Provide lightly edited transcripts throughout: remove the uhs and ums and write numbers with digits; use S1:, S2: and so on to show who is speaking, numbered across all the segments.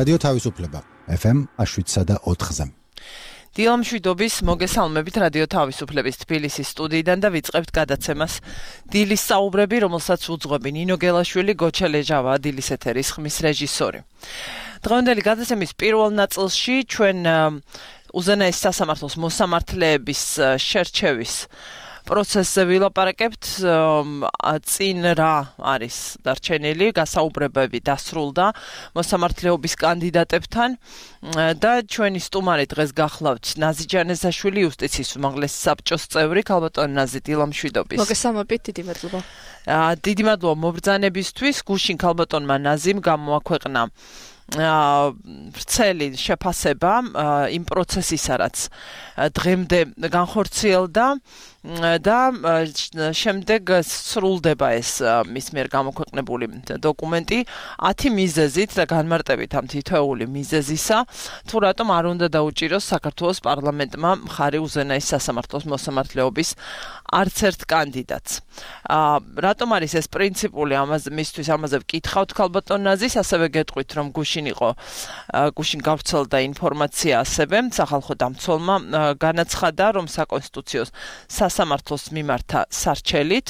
S1: რადიო თავისუფლება FM 107.4-ზე.
S2: დილამ შვიდობის მოგესალმებით რადიო თავისუფლების თბილისის სტუდიიდან და ვიწყებთ გადაცემას დილის საუბრები, რომელსაც უძღვები ნინო გელაშვილი, გოჩა ლეჟავა, დილის ეთერის ხმის რეჟისორი. დღევანდელი გადაცემის პირველ ნაწილში ჩვენ უზენაეს სასამართლოს მოსამართლეების შერჩევის პროცესზე ვილაპარაკებთ, წინ რა არის დარჩენილი, გასაუბრებები დასრულდა მოსამართლეობის კანდიდატებთან და ჩვენი სტუმარი დღეს გახლავთ ნაზი ჯანეზაშვილი, იუსტიციის უმაღლესი საბჭოს წევრი. ქალბატონი ნაზი, დილამ შვიდობის.
S3: მოგესალმებით, დიდი მადლობა.
S2: დიდი მადლობა მობრძანებისთვის. გუშინ ქალბატონმა ნაზიმ გამოაქვეყნა ვრცელი შეფასება იმ პროცესისა, რაც დღემდე განხორციელდა და შემდეგ სრულდება ეს მის მიერ გამოქვეყნებული დოკუმენტი 10 მიზეზით და განმარტებით ამ თითოეული მიზეზისა, თუ რატომ არ უნდა დაუჭიროს საქართველოს პარლამენტმა მხარი უზენაეს სასამართლოს მოსამართლეობის არც ერთ კანდიდატს. რატომ არის ეს პრინციპული, მისთვის ამაზე ვკითხავთ ქალბატონ ნაზის, ასევე გეტყვით, რომ გუშინ გავრცელდა ინფორმაცია ასევე სახალხო დამცველმა განაცხადა, რომ საკონსტიტუციო სასამართლოს მიმართა სარჩელით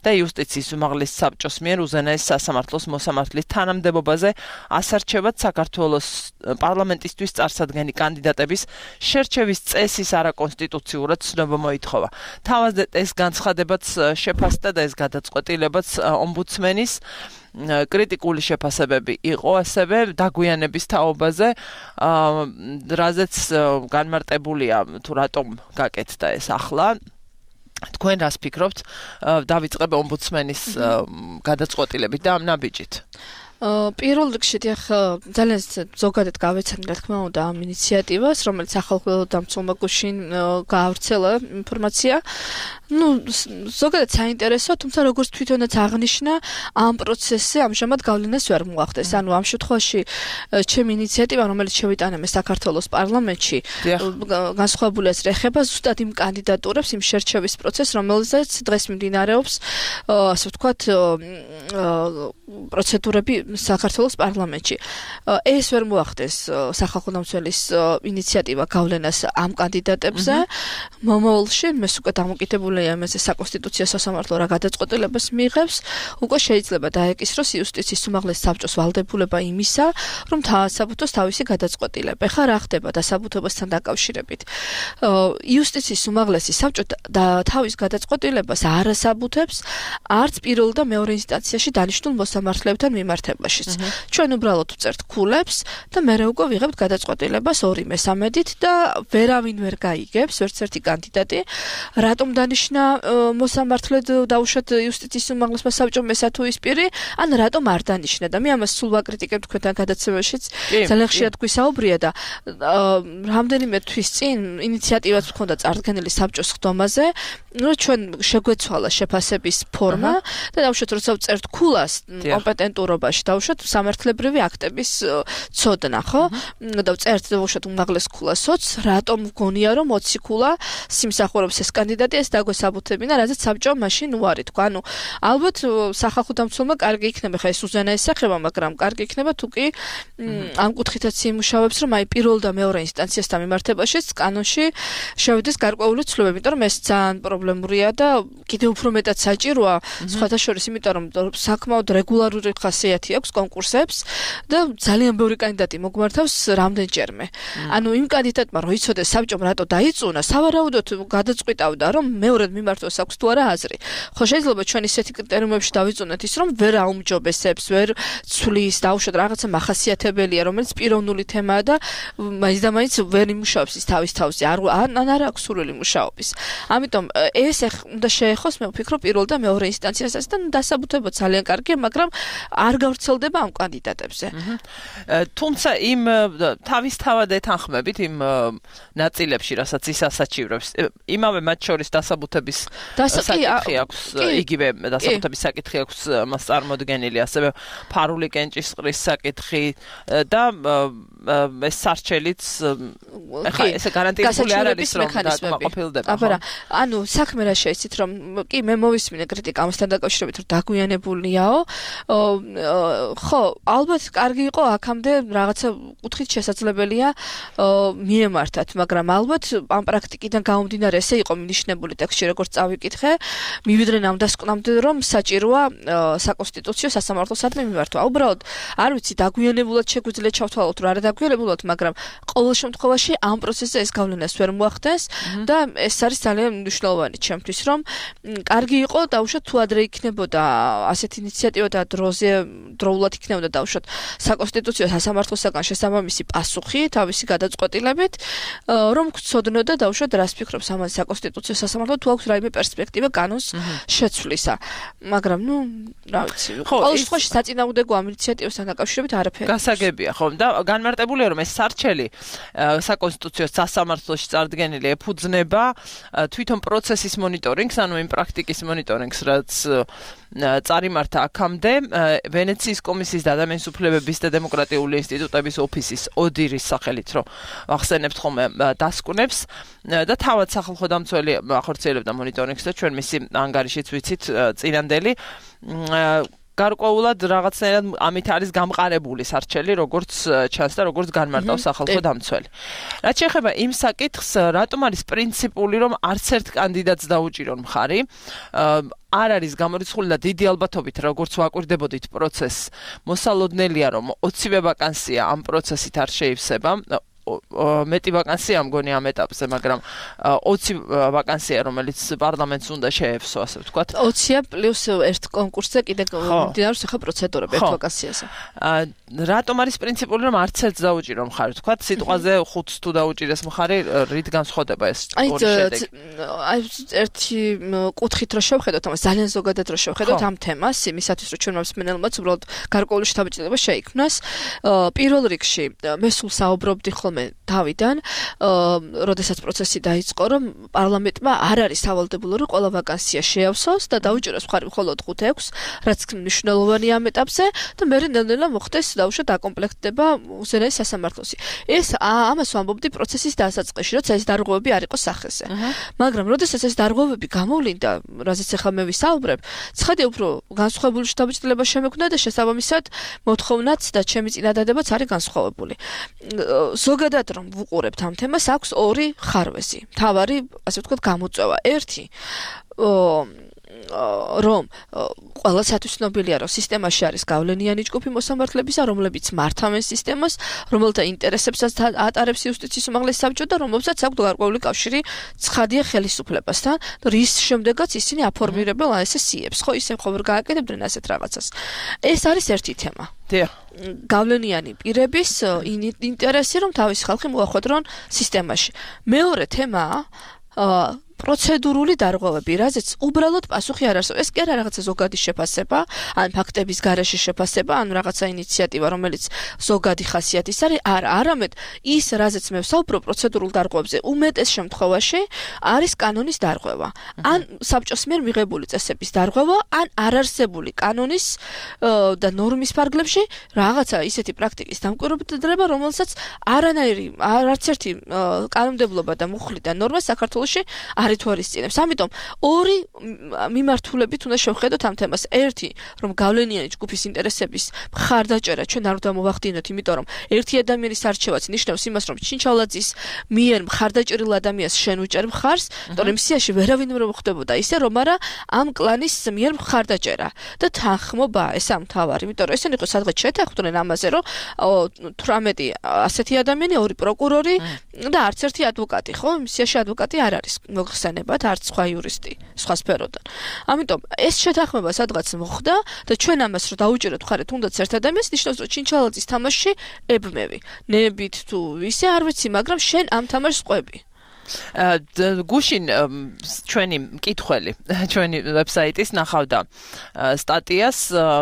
S2: და იუსტიციის უმაღლეს საბჭოს მიერ უზენაეს სასამართლოს მოსამართლის თანამდებობაზე ასარჩევად საქართველოს პარლამენტისთვის წარსადგენი კანდიდატების შერჩევის წესის არაკონსტიტუციურად ცნობა მოითხოვა. თავად ეს განცხადებაც შეფასდა და ეს გადაწყვეტილებაც ომბუდსმენის კრიტიკული შეფასებები იყო ასევე დაგვიანების თაობაზე, რაზეც განმარტებულია თუ რატომ გაკეთდა ეს ახლა. თქვენ რას ფიქრობთ? დავიწყებ ომბუდსმენის გადაწყვეტილებით და ამ ნაბიჯით.
S3: პირველ რიგში ძალიან ზოგადად გავეცანი, რა თქმა უნდა, ამ ინიციატივას, რომელიც სახალხო დამცველმა გუშინ გაავრცელა ინფორმაცია. ზოგადად საინტერესო, თუმცა როგორც თვითონაც აღნიშნა, ამ პროცესზე ამჟამად გავლენას ვერ მოახდენს. ამ შემთხვევაში ჩემი ინიციატივა, რომელიც შევიტანე საქართველოს პარლამენტში, განსხვავებულს ეხება ზუსტად იმ კანდიდატურებს, იმ შერჩევის პროცესს, რომელზეც დღეს მიმდინარეობს, ასე ვთქვათ, პროცედურები საქართველოს პარლამენტში. ეს ვერ მოახდენს სახალხო დამცველის ინიციატივა გავლენას ამ კანდიდატებზე. მომავალში მე უკვე დამოკიდებულია იმაზე საკონსტიტუციო სასამართლო რა გადაწყვეტილებას მიიღებს, უკვე შეიძლება დაეკისროს იუსტიციის უმაღლეს საბჭოს ვალდებულება იმისა, რომ დაასაბუთოს თავისი გადაწყვეტილება. ხა რა ხდება დასაბუთებასთან დაკავშირებით? იუსტიციის უმაღლესი საბჭო თავის გადაწყვეტილებას არ ასაბუთებს არც პირველ და მეორე ინსტანციაში დანიშნულ მოსამართლეებთან მიმართებაშიც. ჩვენ უბრალოდ ვწერთ ქულებს და მერე უკვე ვიღებთ გადაწყვეტილებას 2/3-ით და ვერავინ ვერ გაიგებს, ვერც ერთი კანდიდატი, რატომ დანიშნა მოსამართლედ დაუშვათ იუსტიციის უმაღლესმა საბჭომ ესა თუ ის პირი, ან რატომ არ დანიშნა და მე ამას სულ ვაკრიტიკებ თქვენთან გადაცემაშიც. ძალიან ხშირად გვისაუბრია და რამდენიმე თვის წინ ინიციატივაც მქონდა წარდგენილი საბჭოს ხდომაზე, ჩვენ შეგვეცვალა შეფასების ფორმა და დაუშვათ როცა ვწერთ ქულას კომპეტენტურობაში, დაუშვათ სამართლებრივი აქტების ცოდნა, ხო? და ვწერთ დაუშვათ უმაღლეს ქულასოც, რატომ გონია რომ 20 ქულა სიმსახურობს ეს კანდიდატი, ეს დაგვესაბუთებინა, რადგან საბჭო მაშინ უარი თქვა. ალბათ სახალხო დამცველმა კარგი იქნება ხა ეს უზენაეს სახება, მაგრამ კარგი იქნება თუ კი ამ კუთხითაც იმუშავებს, რომ აი პირველ და მეორე ინსტანციასთან მიმართებაშიც კანონში შევიდეს გარკვეული ცვლილებები, იმიტომ რომ ეს ძალიან პრობლემურია და კიდევ უფრო მეტად საჭიროა, სხვათა შორის, იმიტომ რომ საკმაოდ რეგულარული ხასიათი აქვს კონკურსებს და ძალიან ბევრი კანდიდატი მოგვართავს რამდენჯერმე. იმ კანდიდატმა რო იცოდეს საბჭომ რატო დაიწუნა, სავარაუდოდ გადაწყვიტავდა, რომ მეორედ მიმართოს აქვს თუ არა აზრი. ხო შეიძლება ჩვენ ისეთი კრიტერიუმებში დავიწუნეთ ის, რომ ვერ აუმჯობესებს, ვერ ცვლის, დაუშვათ რაღაცა მახასიათებელია, რომელიც პიროვნული თემაა და მაინც და მაინც ვერ იმუშავებს ის თავის თავზე, არ აქვს სურვილი მუშაობის. ამიტომ ეს უნდა შეეხოს, მე ვფიქრობ, პირველ და მეორე ინსტანციასაც და დასაბუთება ძალიან კარგია, მაგრამ არ გავრცელდება ამ კანდიდატებზე.
S2: თუმცა იმ თავისთავად ეთანხმებით იმ ნაწილებში, რასაც ის ასაჩივრებს, იმავე მათ შორის დასაბუთების საკითხი აქვს, იგივე დასაბუთების საკითხი აქვს მას წარმოდგენილი, ასევე ფარული კენჭისყრის საკითხი და ეს სარჩელიც ეხლა ესე გარანტირებული არ არის რომ დაყოფილდება.
S3: აბა, საქმე რა შეიცით, რომ კი მე მოვისმინე კრიტიკა ამასთან დაკავშირებით, რომ დაგვიანებულიაო, ხო, ალბათ კარგი იყო აქამდე რაღაცა კუთხით შესაძლებელია მიემართათ, მაგრამ ალბათ ამ პრაქტიკიდან გამომდინარე ესე იყო მინიშნებული ტექსტში როგორც წავიკითხე, მივიდრე ამ დასკვნამდე რომ საჭიროა საკონსტიტუციო სასამართლოსადმი მიმართვა. უბრალოდ არ ვიცი დაგვიანებულად შეგვიძლია ჩავთვალოთ რა დაგვიანებულად, მაგრამ ყოველ შემთხვევაში ამ პროცესზე ეს გავლენას ვერ მოახდენს და ეს არის ძალიან მნიშვნელოვანი ჩემთვის, რომ კარგი იყო დაუშვათ თუ ადრე იქნებოდა ასეთი ინიციატივა და დროულად იქნებოდა დაუშვათ საკონსტიტუციო სასამართლოსაგან შესაბამისი პასუხი თავისი გადაწყვეტილებით, რომ გცოდნოდა დაუშვათ რას ფიქრობს ამაზე საკონსტიტუციო სასამართლო, თუ აქვს რაიმე პერსპექტივა კანონს შეცვლისა. მაგრამ რა ვიცი, ყოველ შემთხვევაში საწინააღმდეგო ამ ინიციატივასთან დაკავშირებით არაფერი.
S2: გასაგებია, ხო, და განმარტებულია რომ ეს სარჩელი საკონსტიტუციო სასამართლოში წარდგენილი ეფუძნება თვითონ პროცესის მონიტორინგს, ანუ იმ პრაქტიკის მონიტორინგს, რაც წარიმართა აქამდე ვენეციის კომისიის და ადამიანის უფლებების და დემოკრატიული ინსტიტუტების ოფისის ოდირის სახელით, რომ ახსენებთ ხოლმე დასკვნებს და თავად სახალხო დამცველი ახორციელებდა მონიტორინგს და ჩვენ მისი ანგარიშიც ვიცით წინანდელი გარკვეულად რაღაცნაირად ამით არის გამყარებული სარჩელი, როგორც ჩანს და როგორც განმარტავს სახალხო დამცველი. რაც შეეხება იმ საკითხს, რატომ არის პრინციპული, რომ არც ერთ კანდიდატს დაუჭირონ მხარი, არ არის გამორიცხული და დიდი ალბათობით, როგორც ვაკვირდებოდით პროცესს, მოსალოდნელია, რომ 20-ვე ვაკანსია ამ პროცესით არ შეივსება. მეტი ვაკანსია მგონი ამ ეტაპზე, მაგრამ 20 ვაკანსია, რომელიც პარლამენტს უნდა შეეფსო, ასე ვთქვათ.
S3: 20-ია პლუს ერთ კონკურსზე კიდე მიმდინარეობს ახლა პროცედურები ერთ ვაკანსიაზე.
S2: რატომ არის პრინციპული, რომ არც ერთს დაუჭირო მხარი, ვთქვათ, სიტყვაზე 5-ს თუ დაუჭირეს მხარი, რით განსხვავდება ეს ორი შედეგი?
S3: აი ერთი კუთხით რო შევხედოთ, ამას ძალიან ზოგადად რო შევხედოთ ამ თემას, იმისათვის რომ ჩვენმა მსმენელმაც უბრალოდ გარკვეული შთაბეჭდილება შეიქმნას. პირველ რიგში მე სულ საუბრობდი ხოლმე თავიდან, როდესაც პროცესი დაიწყო, რომ პარლამენტმა არ არის სავალდებულო, რომ ყველა ვაკანსია შეავსოს და დაუჭიროს მხარი მხოლოდ 5-6, რაც მნიშვნელოვანია ამ ეტაპზე და მე ნელ-ნელა მოხდეს დაუშვათ აკომპლექტდება უზენაეს სასამართლოსი. ეს ამას ვამბობდი პროცესის დასაწყისში, როცა ეს დარღვევები არ იყო სახეზე. მაგრამ როდესაც ეს დარღვევები გამოვლინდა, რაზეც ახლა მე ვისაუბრებ, ცხადია უფრო განსხვავებული შთაბეჭდილება შემექმნა და შესაბამისად მოთხოვნაც და ჩემი წინადადებაც არის განსხვავებული. ზოგადად რომ ვუყურებთ ამ თემას, აქვს ორი ხარვეზი. მთავარი, ასე ვთქვათ, გამოწვევა. ერთი რომ ყველასათვის ცნობილია, რომ სისტემაში არის გავლენიანი ჯგუფი მოსამართლებისა, რომლებიც მართავენ სისტემას, რომელთა ინტერესებსაც ატარებს იუსტიციის უმაღლესი საბჭო და რომლებსაც აქვს გარკვეული კავშირი ცხადია ხელისუფლებასთან, რის შემდეგაც ისინი აფორმირებენ ესე სიებს, ხო, ისე ხომ ვერ გააკეთებდნენ ასეთ რაღაცას. ეს არის ერთი თემა. გავლენიანი პირების ინტერესი, რომ თავისი ხალხი მოახვედრონ სისტემაში. მეორე თემაა პროცედურული დარღვევები, რაზეც უბრალოდ პასუხი არ არსებობს. ეს კი არა რაღაცა ზოგადი შეფასება, ან ფაქტების გარეშე შეფასება, ან რაღაცა ინიციატივა, რომელიც ზოგადი ხასიათის არის, არამედ ის, რაზეც მე ვსაუბრობ პროცედურულ დარღვევებზე, უმეტეს შემთხვევაში არის კანონის დარღვევა. ან საბჭოს მიერ მიღებული წესების დარღვევა, ან არარსებული კანონის და ნორმის ფარგლებში რაღაცა ისეთი პრაქტიკის დამკვირვებლება, რომელსაც არც ერთი კანონმდებლობა და მუხლი და ნორმა საქართველოში არ ითვალისწინებს. ამიტომ ორი მიმართულებით უნდა შევხედოთ ამ თემას. ერთი, რომ გავლენიანი ჯგუფის ინტერესების მხარდაჭერა ჩვენ არ უნდა მოვახდინოთ, იმიტომ რომ ერთი ადამიანის არჩევაც ნიშნავს იმას, რომ ჩინჩალაძის მიერ მხარდაჭერილ ადამიანს შენ უჭერ მხარს, თორემ სიაში ვერავინ ვერ მოხდებოდა ისე, რომ არა ამ კლანის მიერ მხარდაჭერა და თანხმობა ეს ამ თავარი, იმიტომ რომ ესენი ხო სადღაც შეთანხმდნენ ამაზე, რომ 18 ასეთი ადამიანი, 2 პროკურორი და არც ერთი ადვოკატი, ხო? სიაში ადვოკატი არ არის მოხსენებათ, არც სხვა იურისტი, სხვა სფეროდან. ამიტომ ეს შეთანხმება სადღაც მოხდა და ჩვენ ამას რომ დაუჭიროთ მხარი თუნდაც ერთ ადამიანს, ნიშნავს რომ ჩინჩალაძის თამაშში ებმევი. ნებით თუ ისე არ ვიცი, მაგრამ შენ ამ თამაშს ყვები.
S2: გუშინ ჩვენი მკითხველი ჩვენი ვებსაიტის ნახავდა სტატიას,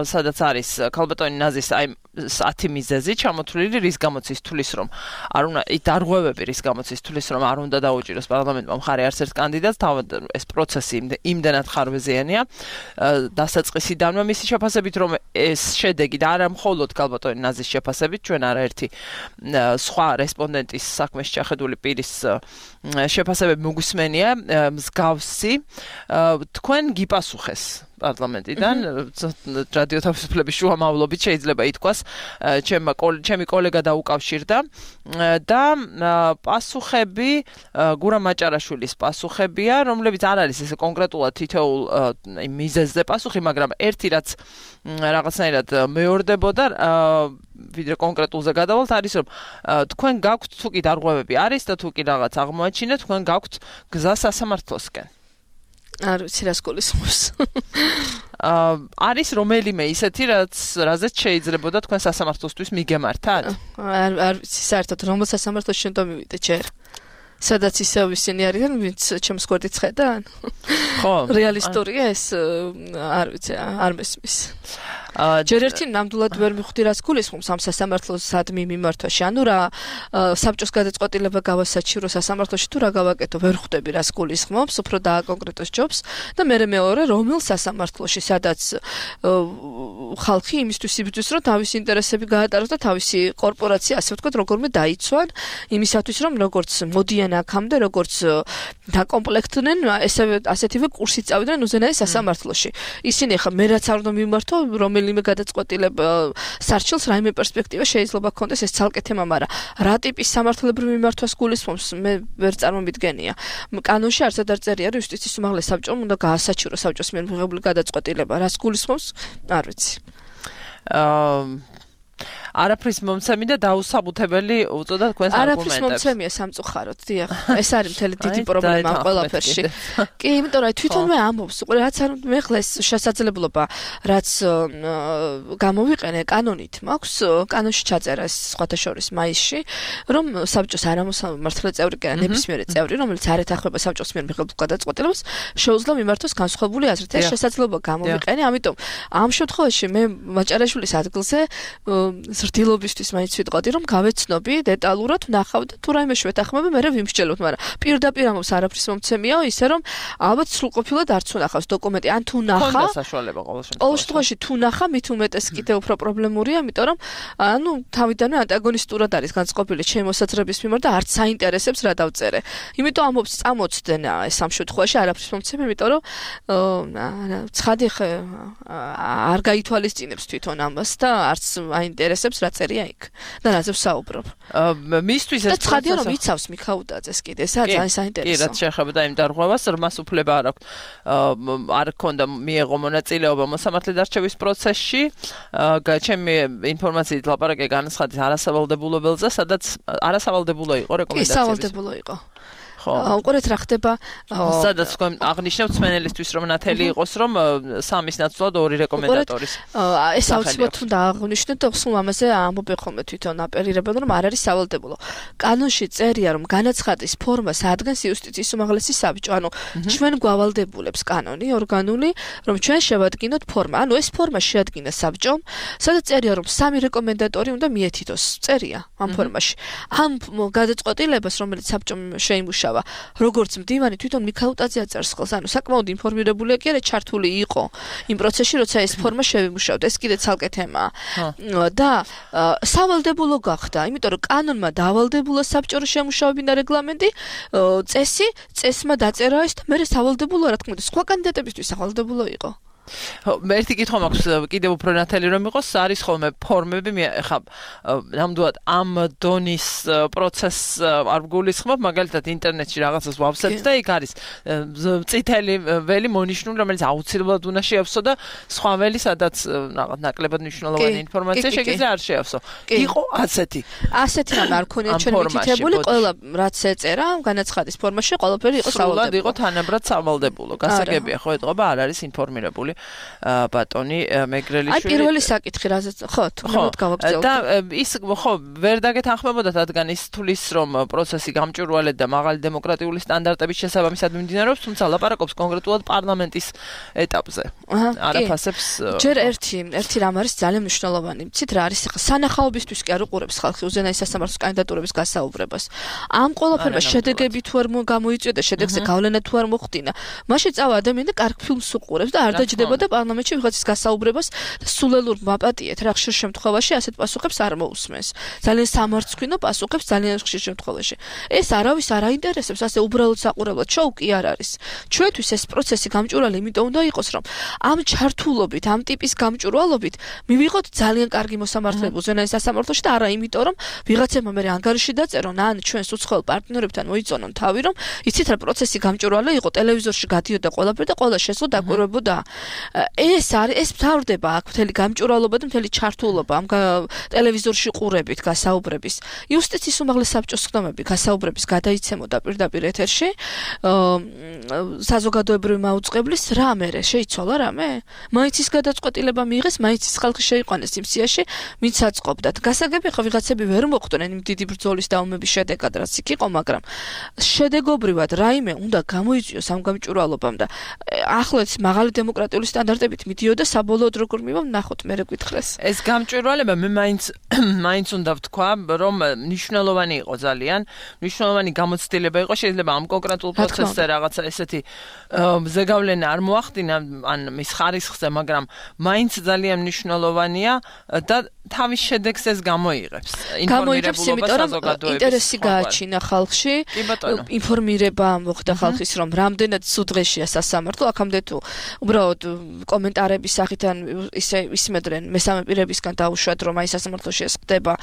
S2: სადაც არის ქალბატონი ნაზის აი 10 მიზეზი ჩამოთვლილი, რის გამოც ის თulis რომ არ უნდა დარღვევები, რის გამოც ის თulis რომ არ უნდა დაუჭიროს პარლამენტმა მხარი არც ერთ კანდიდატს, თავად ეს პროცესი იმდენად ხარვეზიანია დასაწყისიდანვე მისი შეფასებით, რომ ეს შედეგი და არა მხოლოდ ქალბატონი ნაზის შეფასებით, ჩვენ არაერთი სხვა რესპონდენტის საქმეში შეხედული პირის შეფასებები მოგვისმენია მსგავსი, თქვენ გიპასუხეს პარლამენტიდან რადიო თავისუფლების შუამავლობით შეიძლება ითქვას ჩემი კოლეგა დაუკავშირდა და პასუხები გურამ მაჭარაშვილის პასუხებია, რომლებიც არ არის ესე კონკრეტულად თითოეულ მიზეზზე პასუხი, მაგრამ ერთი რაც რაღაცნაირად მეორდებოდა ვიდრე კონკრეტულზე გადავალთ არის რომ თქვენ გაქვთ თუ კი დარღვევები არის და თუ კი რაღაც აღმოაჩინეთ თქვენ გაქვთ გზა სასამართლოსკენ.
S3: არ ვიცი რას გულისხმობს.
S2: არის რომელიმე ისეთი რაზეც შეიძლებოდა თქვენ სასამართლოსთვის მიგემართათ?
S3: არ ვიცი საერთოდ რომელ სასამართლოს შენ დამივიდე ჯერ. სადაც ისევ ისინი არიან, ვინც ჩემს გვერდით ხედან?
S2: ხო.
S3: რეალისტურია ეს? არ ვიცი, არ მესმის. ჯერ ერთი ნამდვილად ვერ მიხვდი რას გულისხმობს ამ სასამართლოს სადმი მიმართვაში. ანუ რა საბჭოს გადაწყვეტილება გავასაჩირო სასამართლოში თუ რა გავაკეთო, ვერ ხვდები რას გულისხმობს, უფრო დააკონკრეტოს ჯობს და მეორე რომელ სასამართლოში, სადაც ხალხი იმისთვის იბრძვის, რომ თავისი ინტერესები გაატაროს და თავისი კორპორაცია, ასე ვთქვათ, როგორმე დაიცვან, იმისათვის, რომ როგორც მოდიან აქამდე, როგორც დაკომპლექტდნენ, ასეთივე კურსი წავიდნენ უზენაეს სასამართლოში. ისინი ხა მე რაც არ უნდა მიმართო, რომელიმე გადაწყვეტილება სარჩელს რაიმე პერსპექტივა შეიძლება ქონდეს ეს ცალკე თემა, მაგრამ რა ტიპის სამართლებრივ მიმართვას გულისხმობს, მე ვერ წარმომიდგენია. კანონში არცად არ წერია, რომ იუსტიციის უმაღლეს საბჭომ უნდა გაასაჩირო საბჭოს მიერ მიღებული გადაწყვეტილება. რას გულისხმობს? არ ვიცი. არაფრის მომცემი და დაუსაბუთებელი უწოდა თქვენს არგუმენტებს. არაფრის მომცემია სამწუხაროდ, დიახ. ეს არის მთელი დიდი პრობლემა ამ ყველაფერში. კი, იმიტომ რომ თვითონვე ამბობს, რაც არ მე ხლა ეს შესაძლებლობა, რაც გამოვიყენე კანონით, მაქვს კანონში ჩაწერა ეს სხვათა შორის მაისში, რომ საბჭოს არამოსამართლე წევრი კი არა, ნებისმიერი წევრი, რომელიც არ ეთანხმება საბჭოს მიერ მიღებულ გადაწყვეტილებას, შეუძლია მიმართოს განსხვავებული აზრით. ეს შესაძლებლობა გამოვიყენე, ამიტომ ამ შემთხვევაში მე მაჭარაშვილის ადგილზე ზრდილობისთვის მაინც ვიტყოდი, რომ გავეცნობი დეტალურად, ვნახავ და თუ რაიმე შევეთანხმები, მე ვიმსჯელოთ, მაგრამ პირდაპირ ამბობს არაფრის მომცემია, ისე რომ ალბათ სრულყოფილად არც უნახავს დოკუმენტი, ან თუ ნახა.
S2: ხონდა საშუალება ყოველ
S3: შემთხვევაში თუ ნახა, მით უმეტეს კიდევ უფრო პრობლემურია, იმიტომ რომ ანუ თავიდანვე ანტაგონისტურად არის განწყობილი ჩემი მოსაზრების მიმართ და არც საინტერესებს რა დავწერე. იმიტომ ამბობს წამოწდნენ ეს ამ შემთხვევაში არაფრის მომცემი, იმიტომ რომ ცხადი არ გაითვალისწინებს თვითონ ამას და არც აინტერესებს რა წერია იქ და რაზე ვსაუბრობ.
S2: მისთვის
S3: ეს ცხადია რომ იცავს მიხაუდაძეს კიდე, ძალიან საინტერესო.
S2: კი, რაც შეეხება იმ დარღვევას, რმას უფლება არ აქვს. არ ქონდა მიეღო მონაწილეობა მოსამართლედ არჩევის პროცესში. ჩემი ინფორმაციით ლაპარაკია განაცხადის არასავალდებულობელზე, სადაც არასავალდებულო იყო რეკომენდაციები.
S3: კი, სავალდებულო იყო. უყურეთ რა ხდება
S2: სადაც თქვენ აღნიშნავთ სმენელისთვის რომ ნათელი იყოს რომ სამის ნაცვლად ორი რეკომენდატორის
S3: ეს აუცილებლად უნდა აღნიშნოთ და სულ ამაზე ამბობენ ხოლმე თვითონ აპელირებენ რომ არ არის სავალდებულო. კანონში წერია რომ განაცხადის ფორმას ადგენს იუსტიციის უმაღლესი საბჭო. ანუ ჩვენ გვავალდებულებს კანონი ორგანული რომ ჩვენ შევადგინოთ ფორმა. ანუ ეს ფორმა შეადგინა საბჭომ, სადაც წერია რომ სამი რეკომენდატორი უნდა მიეთითოს. წერია ამ ფორმაში. ამ გადაწყვეტილებას რომელიც საბჭომ შეიმუშავა როგორც მდივანი თვითონ მიხაუტაძე აწერს ხელს, ანუ საკმაოდ ინფორმირებულია კი არა ჩართული იყო იმ პროცესში, როცა ეს ფორმა შევიმუშავდა. ეს კიდე ცალკე თემაა. და სავალდებულო გახდა, იმიტომ რომ კანონმა დავალდებულა საბჭორო შემუშავებინა რეგლამენტი, წესმა დაწერა ეს და მე სავალდებულო რა თქმა უნდა, სხვა კანდიდატებისთვის სავალდებულო იყო.
S2: ერთი კითხვა მაქვს კიდევ უფრო ნათელი რომ იყოს, არის ხოლმე ფორმები, ხა ნამდვილად ამ დონის პროცესს არ გულისხმობ, მაგალითად ინტერნეტში რაღაცას ვავსებთ და იქ არის წითელი ველი მონიშნული, რომელიც აუცილებლად უნდა შეავსო და სხვა ველი, სადაც რაღაც ნაკლებად მნიშვნელოვანი ინფორმაცია შეგიძლია არ შეავსო. იყო ასეთი.
S3: ასეთი რამ არ ქონია ჩვენ მითითებული, ყველა რაც ეწერა განაცხადის ფორმაში, ყველაფერი იყო სავალდებულო.
S2: იყო თანაბრად სავალდებულო. გასაგებია, ხო, ეთყობა არ არის ინფორმირებული ბატონი მეგრელიშვილი.
S3: აი პირველი საკითხი რაზეც ხო თუნდაც გავაგრძელოთ.
S2: და ის ხო ვერ დაგეთანხმებოდა რადგან ის თulis რომ პროცესი გამჭვირვალედ და მაღალი დემოკრატიული სტანდარტების შესაბამისად მიმდინარეობს, თუმცა ლაპარაკობს კონკრეტულად პარლამენტის ეტაპზე. არაფასებს
S3: ჯერ ერთი რამ არის ძალიან მნიშვნელოვანი. მცით რა არის ხა სანახაობისთვის კი არ უყურებს ხალხი უზენაეს სასამართლოს კანდიდატურების გასაუბრებას. ამ ყველაფერმა შედეგები თუ არ გამოიწვია და შედეგზე გავლენა თუ არ მოხდინა, მაშინ წავა ადამიანი და კარგ ფილმს უყურებს და არ დაჯდება იზრდებოდა პარლამენტში ვიღაცის გასაუბრებას და სულელურ მაპატიეთ რა ხშირ შემთხვევაში ასეთ პასუხებს არ მოусმენს. ძალიან სამარცხვინო პასუხებს ძალიან ხშირ შემთხვევაში. ეს არავის არ აინტერესებს, ასე უბრალოდ საყურებლად შოუ კი არ არის. ჩვენთვის ეს პროცესი გამჭვირვალე იმიტომ უნდა იყოს, რომ ამ ჩართულობით, ამ ტიპის გამჭვირვალობით მივიღოთ ძალიან კარგი მოსამართლეები უზენაეს სასამართლოში და არა იმიტომ, რომ ვიღაცებმა მე ანგარიში დაწერონ, ან ჩვენს უცხოელ პარტნიორებთან მოიწონონ თავი, რომ იცით რა პროცესი გამჭვირვალე იყო, ტელევიზორში გადიოდა ყველაფერი და ყველა შესულ დაკვირვებოდა. ეს მთავრდება აქ მთელი გამჭვირვალობა და მთელი ჩართულობა ამ ტელევიზორში ყურებით გასაუბრების. იუსტიციის უმაღლეს საბჭოს ხდომები გასაუბრების გადაიცემოდა პირდაპირ ეთერში. საზოგადოებრივი მაუწყებლის რამე შეიცვალა რამე? მაინც ის გადაწყვეტილება მიიღეს, მაინც ის ხალხი შეიყვანეს იმ სიაში, ვინც აწყობდათ. გასაგები ხო ვიღაცები ვერ მოხვდნენ იმ დიდი ბრძოლის დაუმების შედეგად, რაც იქ იყო, მაგრამ შედეგობრივად რაიმე უნდა გამოიწვიოს ამ გამჭვირვალობამ და ახლაც მაღალი დემოკრატიული სტანდარტებით მიდიოდა საბოლოოდ როგორ მივა ნახოთ მე გეკითხეს.
S2: ეს გამჭვირვალება მე მაინც უნდა ვთქვა, რომ მნიშვნელოვანი იყო ძალიან, მნიშვნელოვანი გამოცდილება იყო, შეიძლება ამ კონკრეტულ პროცესზე რაღაცა ესეთი ზეგავლენა არ მოახდინა ან მის ხარისხზე, მაგრამ მაინც ძალიან მნიშვნელოვანია და თავის შედეგს ეს გამოიღებს.
S3: ინფორმირებულობა საზოგადოების ინტერესი გააჩინა ხალხში, ინფორმირება მოხდა ხალხის, რომ რამდენად სუდღეშია სასამართლო, აქამდე თუ უბრალოდ კომენტარების სახით ან ისე ისმედრენ მესამე პირებისგან დაუშვათ, რომ აი სასამართლოში ეს ხდება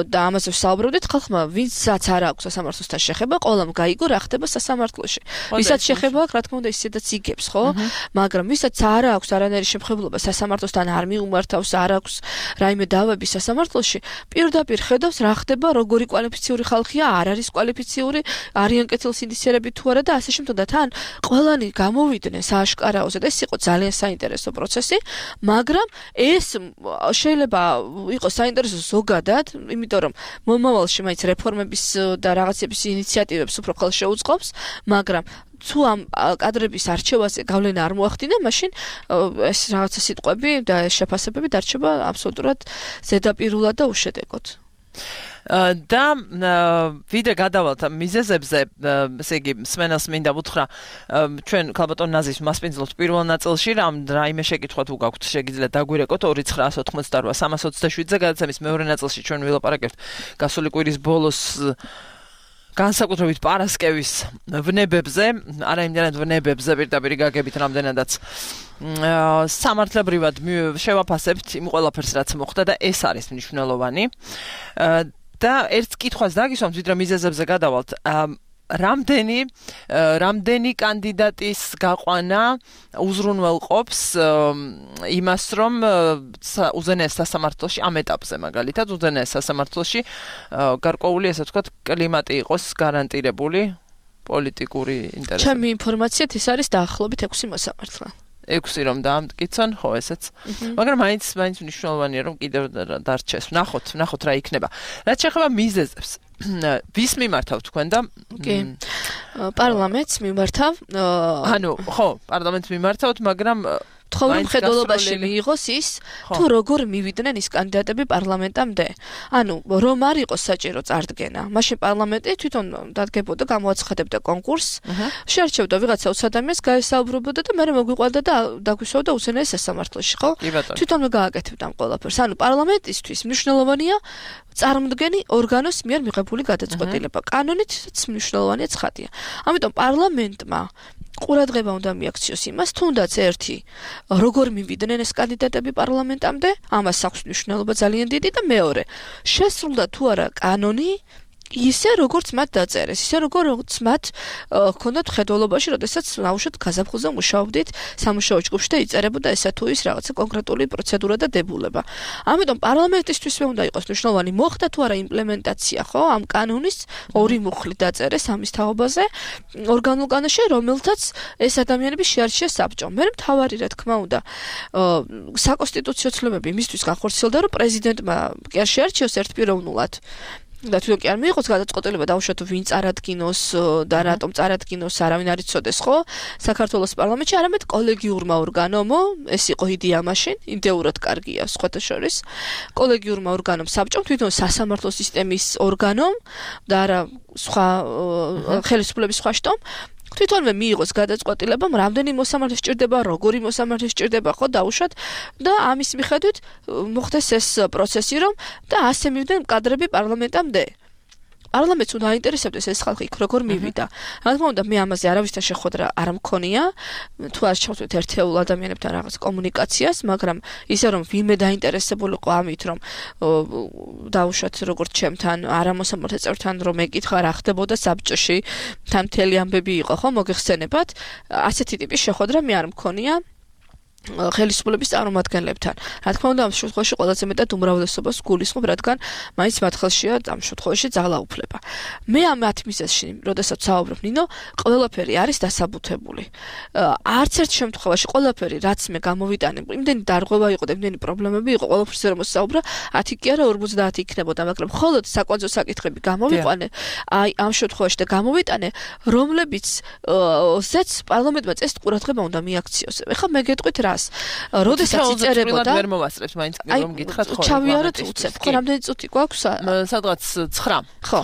S3: და ამაზე ვსაუბრობდით, ხალხმა ვინცაც არ აქვს სასამართლოსთან შეხება, ყველამ გაიგო რა ხდება სასამართლოში. ვისაც შეხება აქვს, რა თქმა უნდა, ისედაც იგებს, ხო? მაგრამ ვისაც არ აქვს არანაირი შემხებლობა სასამართლოსთან არ მიუმართავს, არ აქვს რაიმე დავები სასამართლოში, პირდაპირ ხედავს რა ხდება, როგორი კვალიფიციური ხალხია, არ არის კვალიფიციური, არიან კეთილსინდისიერები თუ არა და ასე შემთხვევით და თან ყველანი გამოვიდნენ სააშკარაოზე და ეს იყო ძალიან საინტერესო პროცესი, მაგრამ ეს შეიძლება იყოს საინტერესო ზოგადად, იმიტომ რომ მომავალში მაინც რეფორმების და რაღაცების ინიციატივებს უფრო ხელ შეუწყობს, მაგრამ თუ ამ კადრების არჩევაზე გავლენა არ მოახდინა, მაშინ ეს რაღაცა სიტყვები და შეფასებები დარჩება აბსოლუტურად ზედაპირულად და უშედეგოდ.
S2: და ვიდრე გადავალთ მიზეზებზე, ესე იგი, სმენელს მინდა ვუთხრა, ჩვენ ქალბატონ ნაზის მასპინძლობთ პირველ ნაწილში, რაიმე შეკითხვა თუ გაქვთ, შეგიძლიათ დაგვირეკოთ 2988-327-ზე, გადაცემის მეორე ნაწილში ჩვენ ვილაპარაკებთ გასული კვირის ბოლოს განსაკუთრებით პარასკევის ვნებებზე, არა იმდენად ვნებებზე, პირდაპირ გაგებით რამდენადაც სამართლებრივად შევაფასებთ იმ ყველაფერს, რაც მოხდა და ეს არის მნიშვნელოვანი. და ერთ კითხვას დაგისვამთ, ვიდრე მიზეზებზე გადავალთ, რამდენი კანდიდატის გაყვანა უზრუნველყოფს იმას, რომ უზენაეს სასამართლოში ამ ეტაპზე მაგალითად უზენაეს სასამართლოში გარკვეული, ასე ვთქვათ, კლიმატი იყოს გარანტირებული პოლიტიკური ინტერესები.
S3: ჩემი ინფორმაციით ის არის დაახლოებით 6 მოსამართლე.
S2: 6 რომ დაამტკიცონ, ხო ესეც. მაგრამ მაინც მნიშვნელოვანია რომ კიდევ დარჩეს. ვნახოთ რა იქნება. რაც შეეხება მიზეზებს, ვის მიმართავ თქვენ და
S3: პარლამენტს მიმართავ?
S2: ანუ, ხო, პარლამენტს მიმართავთ, მაგრამ
S3: თხოვნა მხედველობაში მიიღოს ის, თუ როგორ მივიდნენ ის კანდიდატები პარლამენტამდე. ანუ, რომ არ იყოს საჭირო წარდგენა. მაშინ პარლამენტი თვითონ დადგებოდა, გამოაცხადებდა კონკურსს, შეარჩევდა ვიღაცა 20 ადამიანს, გაესაუბრებოდა და მერე მოგვიყვანდა და დაგვისვავდა უზენაეს სასამართლოში, ხო? თვითონვე გააკეთებდა ამ ყველაფერს. ანუ, პარლამენტისთვის მნიშვნელოვანია წარმდგენი ორგანოს მიერ მიღებული გადაწყვეტილება. კანონითაც მნიშვნელოვანია ცხადია. ამიტომ პარლამენტმა ყურადღება უნდა მიაქციოს იმას, თუნდაც ერთი, როგორ მივიდნენ ეს კანდიდატები პარლამენტამდე, ამას აქვს მნიშვნელობა ძალიან დიდი და მეორე, შესრულდა თუ არა კანონი ისე როგორც მათ დაწერეს, ისე როგორც მათ ჰქონდათ მხედველობაში, როდესაც ნაუშად გაზაფხულზე მუშაობდით სამუშაო ჯგუფში და იწერებოდა ესა თუ ის რაღაცა კონკრეტული პროცედურა და დებულება. ამიტომ პარლამენტისთვისვე უნდა იყოს მნიშვნელოვანი, მოხდა თუ არა იმპლემენტაცია, ხო, ამ კანონის ორი მუხლი დაწერეს ამის თაობაზე ორგანულ კანონში, რომელთაც ეს ადამიანები შეარჩია საბჭომ. მე მთავარი, რა თქმა უნდა, საკონსტიტუციო ცნობები იმისთვის განხორციელდა, რომ პრეზიდენტმა კი არ შეარჩიოს ერთპიროვნულად და თვითონ კი არ მიიღოს გადაწყვეტილება დაუშვათ ვინ წარადგინოს და რატომ წარადგინოს, არავინ არ იცოდეს, ხო? საქართველოს პარლამენტში არამედ კოლეგიურმა ორგანომო, ეს იყო იდეა მაშინ, იდეურად კარგია სხვათა შორის. კოლეგიურმა ორგანომ საბჭომ თვითონ სასამართლო სისტემის ორგანომ და არა სხვა ხელისუფლების სხვა შტომ თვითონვე მიიღოს გადაწყვეტილება, რამდენი მოსამართლე სჭირდება, როგორი მოსამართლე სჭირდება, ხო, დაუშვათ და ამის მიხედვით მოხდეს ეს პროცესი, რომ და ასე მივიდნენ კადრები პარლამენტამდე. პარლამენტს უნდა აინტერესებდეს ეს ხალხი იქ როგორ მივიდა. რა თქმა უნდა, მე ამაზე არავისთან შეხვედრა არ მქონია, თუ არ შევხვდით ერთეულ ადამიანებთან რაღაც კომუნიკაციას, მაგრამ ისე რომ ვინმე დაინტერესებულიყო ამით, რომ დაუშვათ როგორც ჩემთან, არამოსამართლე წევრთან რომ ეკითხა რა ხდებოდა საბჭოში, თან მთელი ამბები იყო, ხო, მოგეხსენებათ, ასეთი ტიპის შეხვედრა მე არ მქონია. ხელისუფლების წარმომადგენლებთან. რა თქმა უნდა, ამ შემთხვევაში ყველაზე მეტად უმრავლესობას გულისხმობ, რადგან მაინც მათ ხელშია ამ შემთხვევაში ძალაუფლება. მე ამ მათ მიზეზში, როდესაც საუბრობ, ნინო, ყველაფერი არის დასაბუთებული. არც ერთ შემთხვევაში ყველაფერი, რაც მე გამოვიტანე, იმდენი დარღვევა იყო და იმდენი პრობლემები იყო, ყველაფერზე რომ მოსაუბრა, 10 კი არა 50 იქნებოდა, მაგრამ მხოლოდ საკვანძო საკითხები გამოვიყვანე, აი ამ შემთხვევაში და გამოვიტანე, რომლებიც ზეც პარლამენტმა წესით ყურადღება უნდა მიაქციოს. ეხლა მე გეტყვით რა როდესაც იწერებოდა
S2: ვერ მოვასწრებთ მაინც რომ გითხრათ ხო
S3: ჩავიაროთ უცებ ხო რამდენი წუთი გვაქვს
S2: სადღაც 9
S3: ხო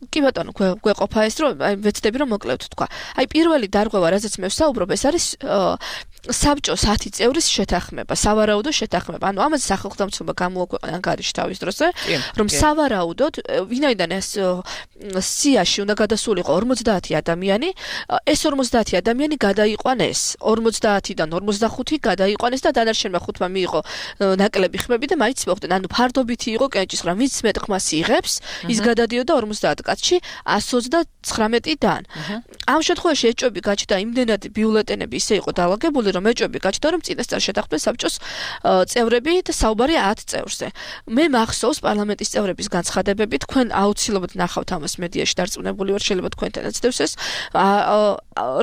S3: კი ბატონო გვეყოფა ეს რომ აი ვეცდები რომ მოკლევთ თქვა აი პირველი დარღვევა რაზეც მე ვსაუბრობ ეს არის საბჭოს 10 წევრის შეთანხმება სავარაუდო შეთანხმება ანუ ამაზე სახელმწიფო დამცველობა გამოაქვეყნა ანგარიში თავის დროზე რომ სავარაუდოდ ვინაიდან ეს სიაში უნდა გადასულიყო 50 ადამიანი ეს 50 ადამიანი გადაიყვანეს 50-დან 45 გადაიყვანეს და დანარჩენმა 5-მა მიიღო ნაკლები ხმები და მაინც მოხდნენ ანუ ფარდობითი იყო კენჭისყრა ვინც მეტ ხმას იღებს ის გადადიოდა 50 კაცში 139-დან ამ შემთხვევაში ეჭვები გაჩნდა იმდენად ბიულეტენები ისე იყო დაალაგებული რომ ეჭვები გაჩნდა რომ წინასწარ შეთანხმდნენ საბჭოს წევრები და საუბარი 10 წევრზე მე მახსოვს პარლამენტის წევრების განცხადებები თქვენ აუცილებლად ნახავთ ამას მედიაში დარწმუნებული ვარ შეიძლება თქვენთანაც დევს ეს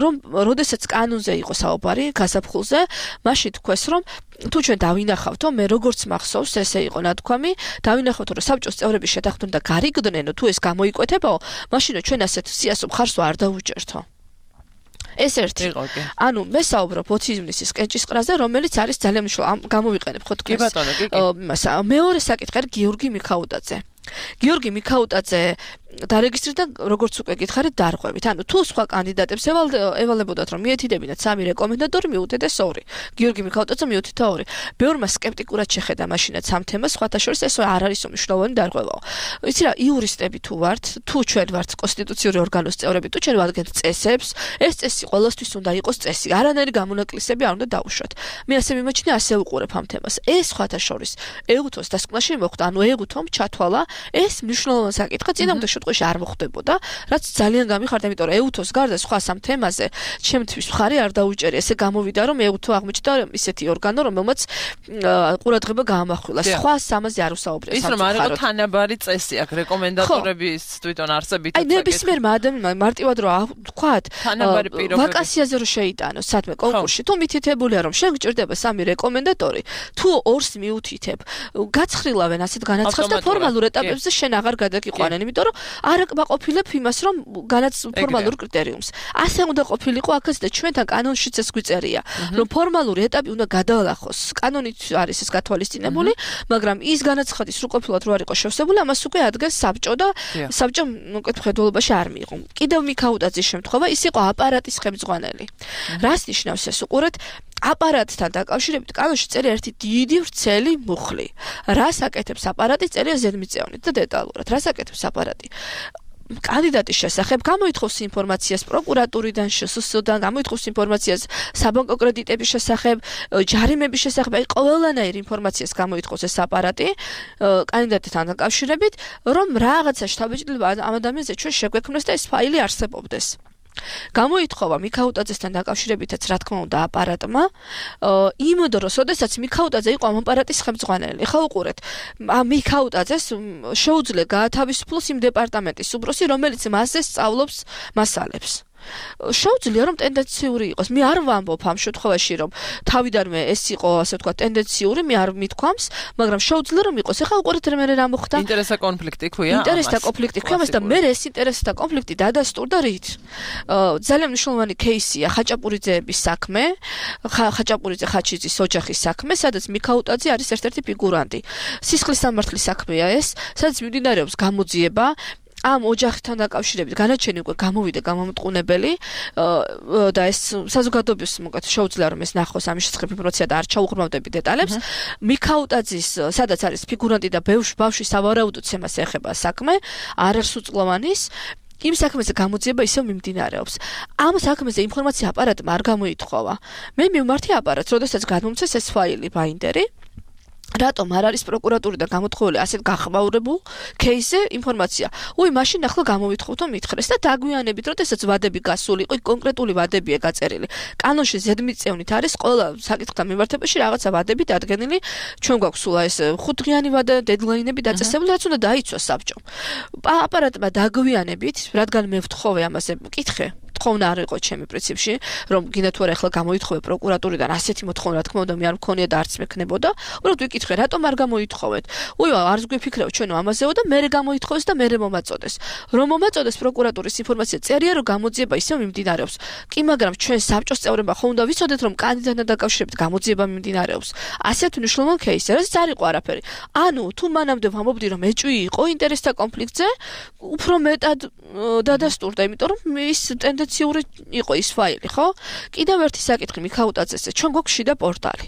S3: რომ როდესაც კანონზე იყო საუბარი გასაფხულზე მაშინ თქვეს რომ თუ ჩვენ დავინახავთო მე როგორც მახსოვს ესე იყო ნათქვამი დავინახავთო რომ საბჭოს წევრები შეთანხმდნენ და გარიგდნენო თუ ეს გამოიკვეთებაო მაშინო ჩვენ ასეთ სიასო მხარს არ დავუჭერთო ეს ერთი. ანუ მე საუბრობ ოციზმის კენჭისყრაზე, რომელიც არის ძალიან მნიშვნელოვანი. გამოვიყენებ ხო თქვენ.
S2: კი ბატონო, კი.
S3: მეორე საკითხი არის გიორგი მიქაუტაძე. გიორგი მიქაუტაძე დარეგისტრირდა როგორც უკვე გითხარით დარღვევით. ანუ თუ სხვა კანდიდატებს ევალებოდათ რომ მიეთიდებინათ 3 რეკომენდატორი მიუთითეს 2. გიორგი მიქაუტაძე მიუთითა 2. ბევრმა სკეპტიკურად შეხედა მაშინაც ამ თემას, სხვათა შორის ეს არ არის მნიშვნელოვანი დარღვევაო. იცი რა, იურისტები თუ ვართ, თუ ჩვენ ვართ კონსტიტუციური ორგანოს წევრები, თუ ჩვენ ვადგენთ წესებს, ეს წესი ყველასთვის უნდა იყოს წესი. არანაირი გამონაკლისები არ უნდა დაუშვათ. მე ასე მიმაჩნია, ასე ვუყურებ ამ თემას. ეს სხვათა შორის ეუთოს დასკვნაში მოხდა, ანუ ეუთომ ჩათვალა ეს მნიშვნელოვანი საკითხი წინა შემთხვევაში არ მოხდებოდა, რაც ძალიან გამიხარდა, იმიტომ რომ ეუთოს გარდა სხვა სამ თემაზე ჩემთვის მხარი არ დაუჭერი. ესე გამოვიდა, რომ ეუთო აღმოჩნდა ისეთი ორგანო, რომელმაც ყურადღება გაამახვილა. სხვა სამაზე არ უსაუბრია.
S2: ის რომ არ იყო თანაბარი წესი აქ რეკომენდატორების თვითონ არსებით.
S3: აი ნებისმიერმა ადამიანმა მარტივად რომ თქვათ, ვაკანსიაზე რომ შეიტანოს სადმე კონკურსში, თუ მითითებულია რომ შენ გჭირდება 3 რეკომენდატორი, თუ 2-ს მიუთითებ, გაცხრილავენ ასეთ განაცხადს და ფორმალურ ეტაპებზე შენ აღარ გადაგიყვანენ, იმიტომ რომ არ აკმაყოფილებ იმას, რომ განაც ფორმალურ კრიტერიუმს. ასე უნდა ყოფილიყო აქაც და ჩვენთან კანონშიც ეს გვიწერია, რომ ფორმალური ეტაპი უნდა გადაალახოს. კანონით არის ეს გათვალისწინებული, მაგრამ ის განაცხადი სრულყოფილად რო არ იყო შევსებული, ამას უკვე ადგენს საბჭო და საბჭომ მოკითხველობაში არ მიიღო. კიდევ მიქაუტაძის შემთხვევა ის იყო აპარატის ხელმძღვანელი. რას ნიშნავს ეს უყურეთ? აპარატთან დაკავშირებით კანონში წერია ერთი დიდი ვრცელი მუხლი. რას აკეთებს აპარატი? წერია ზედმიწევნით და დეტალურად. რას აკეთებს აპარატი? კანდიდატის შესახებ გამოითხოვს ინფორმაციას პროკურატურიდან, შსს-დან, გამოითხოვს ინფორმაციას საბანკო კრედიტების შესახებ, ჯარიმების შესახებ, აი ყველანაირ ინფორმაციას გამოითხოვს ეს აპარატი კანდიდატთან დაკავშირებით, რომ რაღაცა შთაბეჭდილება ამ ადამიანზე ჩვენ შეგვექმნეს და ეს ფაილი არსებობდეს. გამოითხოვა მიქაუტაძესთან დაკავშირებითაც რა თქმა უნდა აპარატმა იმ დროს, როდესაც მიქაუტაძე იყო ამ აპარატის ხელმძღვანელი. ხა უყურეთ, მიქაუტაძეს შეუძლია გაათავისუფლოს იმ დეპარტამენტის უბროსი, რომელიც მასზე სწავლობს მასალებს. შეუძლია რომ ტენდენციური იყოს. მე არ ვამბობ ამ შემთხვევაში რომ თავიდანვე ეს იყო ასე ვთქვათ ტენდენციური, მე არ მithქვამს, მაგრამ შეუძლია რომ იყოს. ეხლა უყურეთ რა მოხდა.
S2: ინტერესთა კონფლიქტი ქვია.
S3: ინტერესთა კონფლიქტი ქვია, და მე ეს ინტერესთა კონფლიქტი დადასტურდა რით? ძალიან მნიშვნელოვანი кейსია ხაჭაპურიძეების საქმე, ხაჭაპურიძე ხაჩიძის ოჯახის საქმე, სადაც მიქაუტაძე არის ერთ-ერთი ფიგურანტი. სისხლის სამართლის საქმეა ეს, სადაც მიმდინარეობს გამოძიება ამ ოჯახთან დაკავშირებით განაჩენი უკვე გამოვიდა გამომტყუნებელი და ეს საზოგადოების მოკეთ შეუძლია რომ ეს ნახოს ამის შესახებ ინფორმაცია და არ ჩაუღრმავდები დეტალებს. მიქაუტაძის სადაც არის ფიგურანტი და ბავშვი სავარაუდოდ ცემას ეხება საქმე, არ არის უწყლოვანის იმ საქმეზე გამოძიება ისევ მიმდინარეობს. ამ საქმეზე ინფორმაცია აპარატმა არ გამოითხოვა. მე მივმართი აპარატს, როდესაც გადმომცეს ეს ფაილი ბაინდერი. რატომ არ არის პროკურატურიდან გამოთხოვილი ასეთ გახმაურებულ кейსზე ინფორმაცია? მაშინ ახლა გამოვითხოვთ მითხრეს და დაგვიანებით, როდესაც ვადები გასული იყო, კონკრეტული ვადებია გაწერილი. კანონში ზედმიწევნით არის ყველა საკითხთან მიმართებაში რაღაცა ვადები დადგენილი. ჩვენ გვაქვს სულ ეს 5 დღიანი ვადა, დედლაინები დაწესებული, რაც უნდა დაიცვას საბჭომ. აპარატმა დაგვიანებით, რადგან მე ვთხოვე ამაზე მკითხე მოთხოვნა არ იყო ჩემი პრინციპში, რომ გინდა თუ არა ახლა გამოითხოვე პროკურატურიდან ასეთი მოთხოვნა, რა თქმა უნდა, მე არ მქონია და არც მექნებოდა. უბრალოდ ვიკითხე, რატომ არ გამოითხოვეთ? არც გვიფიქრეო ჩვენო ამაზეო და მერე გამოითხოვეს და მერე მომაწოდეს. რომ მომაწოდეს პროკურატურის ინფორმაცია წერია, რომ გამოძიება ისევ მიმდინარეობს. კი, მაგრამ ჩვენ საბჭოს წევრებმა ხომ უნდა ვიცოდეთ, რომ კანდიდატთან დაკავშირებით გამოძიება მიმდინარეობს. ასეთ მნიშვნელოვან кейსზე, რაც არ იყო არაფერი. ანუ თუ მანამდე ვამბობდი, რომ ეჭვი იყო ინტერესთა კონფლიქტზე, უფრო მეტად დადასტურდა, იმიტომ რომ ის ტენდენციური იყო ის ფაილი, ხო? კიდევ ერთი საკითხი მიქაუტაძეზე, ჩვენ გვაქვს შიდა პორტალი.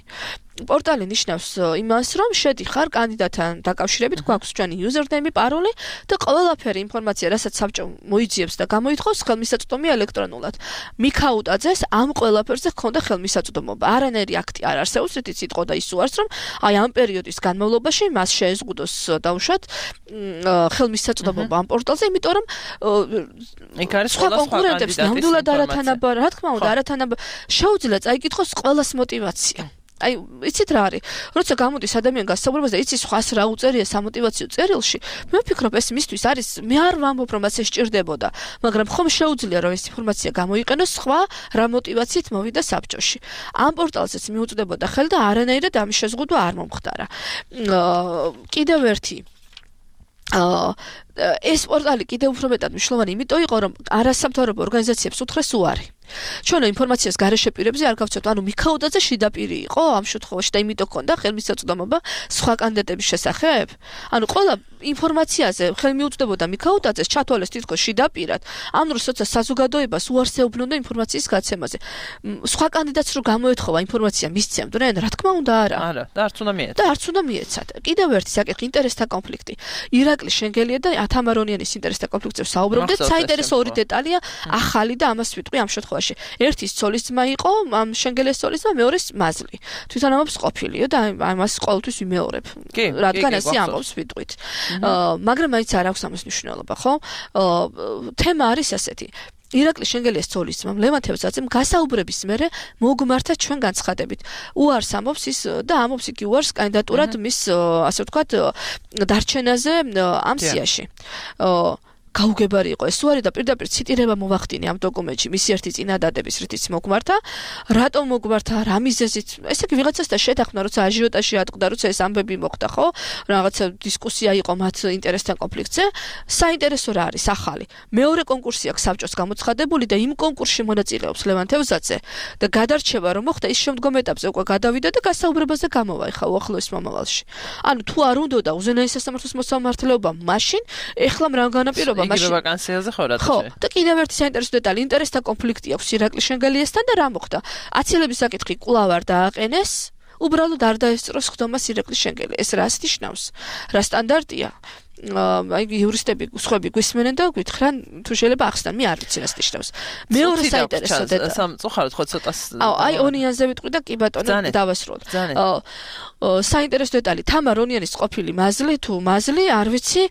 S3: პორტალი ნიშნავს იმას, რომ შედიხარ კანდიდატთან დაკავშირებით, გვაქვს ჩვენი username, paroli და ყველაფერი ინფორმაცია, რასაც საბჭო მოიძიებს და გამოითხოვს, ხელმისაწვდომი ელექტრონულად. მიქაუტაძეს ამ ყველაფერზე ჰქონდა ხელმისაწვდომობა. არანაირი აქტი არ არსებობს, რითიც იტყოდა და ის უარს, რომ ამ პერიოდის განმავლობაში მას შეეზღუდოს დაუშვათ ხელმისაწვდომობა ამ პორტალზე, იმიტომ რომ
S2: იქ არის ყველა
S3: კონკურენტებს ნამდვილად არათანაბარ, რა თქმა უნდა, არათანაბარ შეუძლია წაიკითხოს ყველას мотиваცია. იცით რა არის? როცა გამოდის ადამიანი გასაუბრებაზე, იცი სხვას რა უწერია სამოტივაციო წერილში, მე ვფიქრობ ეს მისთვის არის, მე არ ვამბობ რომ ასე სჭირდებოდა, მაგრამ ხომ შეუძლია რომ ეს ინფორმაცია გამოიყენოს სხვა რა мотивაციით მოვიდა საბჭოში. ამ პორტალზეც მიუწვდებოდა ხელი და არანაირად ამის შეზღუდვა არ მომხდარა. კიდევ ერთი ეს პორტალი კიდევ უფრო მეტად მნიშვნელოვანი იმიტომ იყო, რომ არასამთავრობო ორგანიზაციებს უთხრეს უარი. ჩვენ ინფორმაციას გარეშე პირებზე არ გავცეთ, ანუ მიქაუტაძე შიდა პირი იყო ამ შემთხვევაში და იმიტომ ჰქონდა ხელმისაწვდომობა სხვა კანდიდატების შესახებ. ანუ ყველა ინფორმაციაზე ხელმიუწვდებოდა მიქაუტაძეს ჩათვალეს თითქოს შიდა პირად. ამ დროს როცა საზოგადოებას უარს ეუბნოდა ინფორმაციის გაცემაზე. სხვა კანდიდატს რო გამოეთხოვა ინფორმაცია მისცემდნენ, რა თქმა უნდა არა.
S2: არა, და არც უნდა მიეცათ.
S3: და არც უნდა მიეცათ. კიდევ ერთი საკითხი ინტერესთა კონფლიქტი. ირაკლი შენგელია და თამარონიანის ინტერესთა კონფლიქტზე საუბრობდით. საინტერესო ორი დეტალია ახალი და ამას ვიტყვი ამ შემთხვევაში. ერთის ცოლის ძმა იყო, ამ შენგელეს ცოლის ძმა, მეორეს მაზლი. თვითონამობს ყოფილიო და ამას ყოველთვის ვიმეორებ. რადგან ასე ამბობს ვიტყვით. მაგრამ მაინც არ აქვს ამას მნიშვნელობა, ხო? თემა არის ასეთი. ირაკლი შენგელიას ცოლის ძმამ ლევან თევზაძემ გასაუბრების მერე მოგმართა ჩვენ განცხადებით. უარს ამბობს ის და ამბობს იგი უარს კანდიდატურად მის ასე ვთქვათ დარჩენაზე ამ სიაში. გაუგებარი იყო ეს უარი და პირდაპირ ციტირება მოვახდინე ამ დოკუმენტში მისი ერთი წინადადების რითიც მოგმართა. რატომ მოგმართა? რა მიზეზით? ესე იგი ვიღაცასთან შეთანხმდა, როცა აჟიოტაჟი ატყდა, როცა ეს ამბები მოხდა, ხო? რაღაცა დისკუსია იყო მათ ინტერესთან კონფლიქტზე. საინტერესო რა არის ახალი? მეორე კონკურსი აქვს საბჭოს გამოცხადებული და იმ კონკურსში მონაწილეობს ლევან თევზაძე და გადარჩევა რომ მოხდა ის შემდგომ ეტაპზე უკვე გადავიდა და გასაუბრებაზე გამოვაიხა უახლოეს მომავალში. ანუ თუ არ უნდოდა უზენაეს სასამართლოს მოსამართლეობა, მაშინ ეხლა რა განაპირობა
S2: იგივე ვაკანსიაზე ხო რა თქმა
S3: უნდა. ხო, და კიდევ ერთი საინტერესო დეტალი, ინტერესთა კონფლიქტი აქვს ირაკლი შენგელიასთან და რა მოხდა? აცილების საკითხი კვლავ არ დააყენეს, უბრალოდ არ დაესწროს ხდომას ირაკლი შენგელი. ეს რას ნიშნავს? რა სტანდარტია? იურისტები სხვები გვისმენენ და გვითხრან თუ შეიძლება ახსნან, მე არ ვიცი რას ნიშნავს. მეორე საინტერესო დეტალი.
S2: სამწუხაროდ ხო ცოტას
S3: ონიანზე ვიტყვი და კი ბატონო დავასრულოთ. საინტერესო დეტალი, თამარ ონიანის ყოფილი მაზლი თუ მაზლი, არ ვიცი,